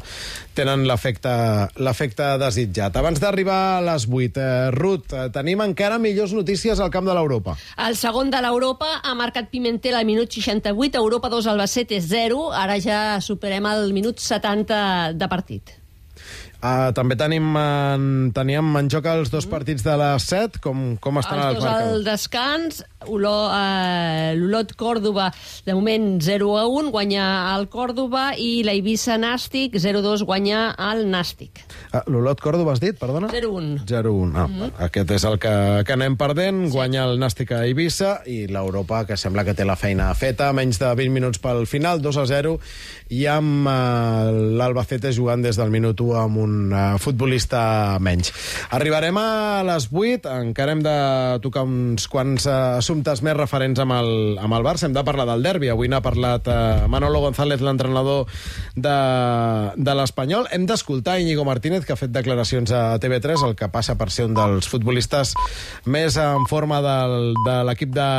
Speaker 2: tenen l'efecte l'efecte desitjat. Abans d'arribar a les vuit, eh, Ruth, eh, tenim encara millors notícies al camp de l'Europa.
Speaker 6: El segon de l'Europa ha marcat Pimentel al minut seixanta-vuit, Europa dos, Albacete zero, ara ja superem el minut setanta de partit.
Speaker 2: Uh, també tenim en, teníem en joc els dos partits de les set. Com, com estan els,
Speaker 6: els
Speaker 2: dos marcadors?
Speaker 6: al descans. Uh, l'Olot Còrdova, de moment zero a un, guanya el Còrdova, i la Eivissa Nàstic zero a dos, guanya el Nàstic.
Speaker 2: Uh, L'Olot Còrdova has dit, perdona?
Speaker 6: zero a un.
Speaker 2: zero a un. Ah, mm-hmm. Aquest és el que, que anem perdent. Sí. Guanya el Nàstic a Eivissa, i l'Europa, que sembla que té la feina feta, menys de vint minuts pel final, dos a zero, i amb uh, l'Albacete jugant des del minut u amb un un uh, futbolista menys. Arribarem a les vuit, encara hem de tocar uns quants uh, assumptes més referents amb el, amb el Barça. Hem de parlar del derbi. Avui n'ha parlat uh, Manolo González, l'entrenador de, de l'Espanyol. Hem d'escoltar Íñigo Martínez, que ha fet declaracions a T V tres, el que passa per ser un dels futbolistes més en forma del, de l'equip de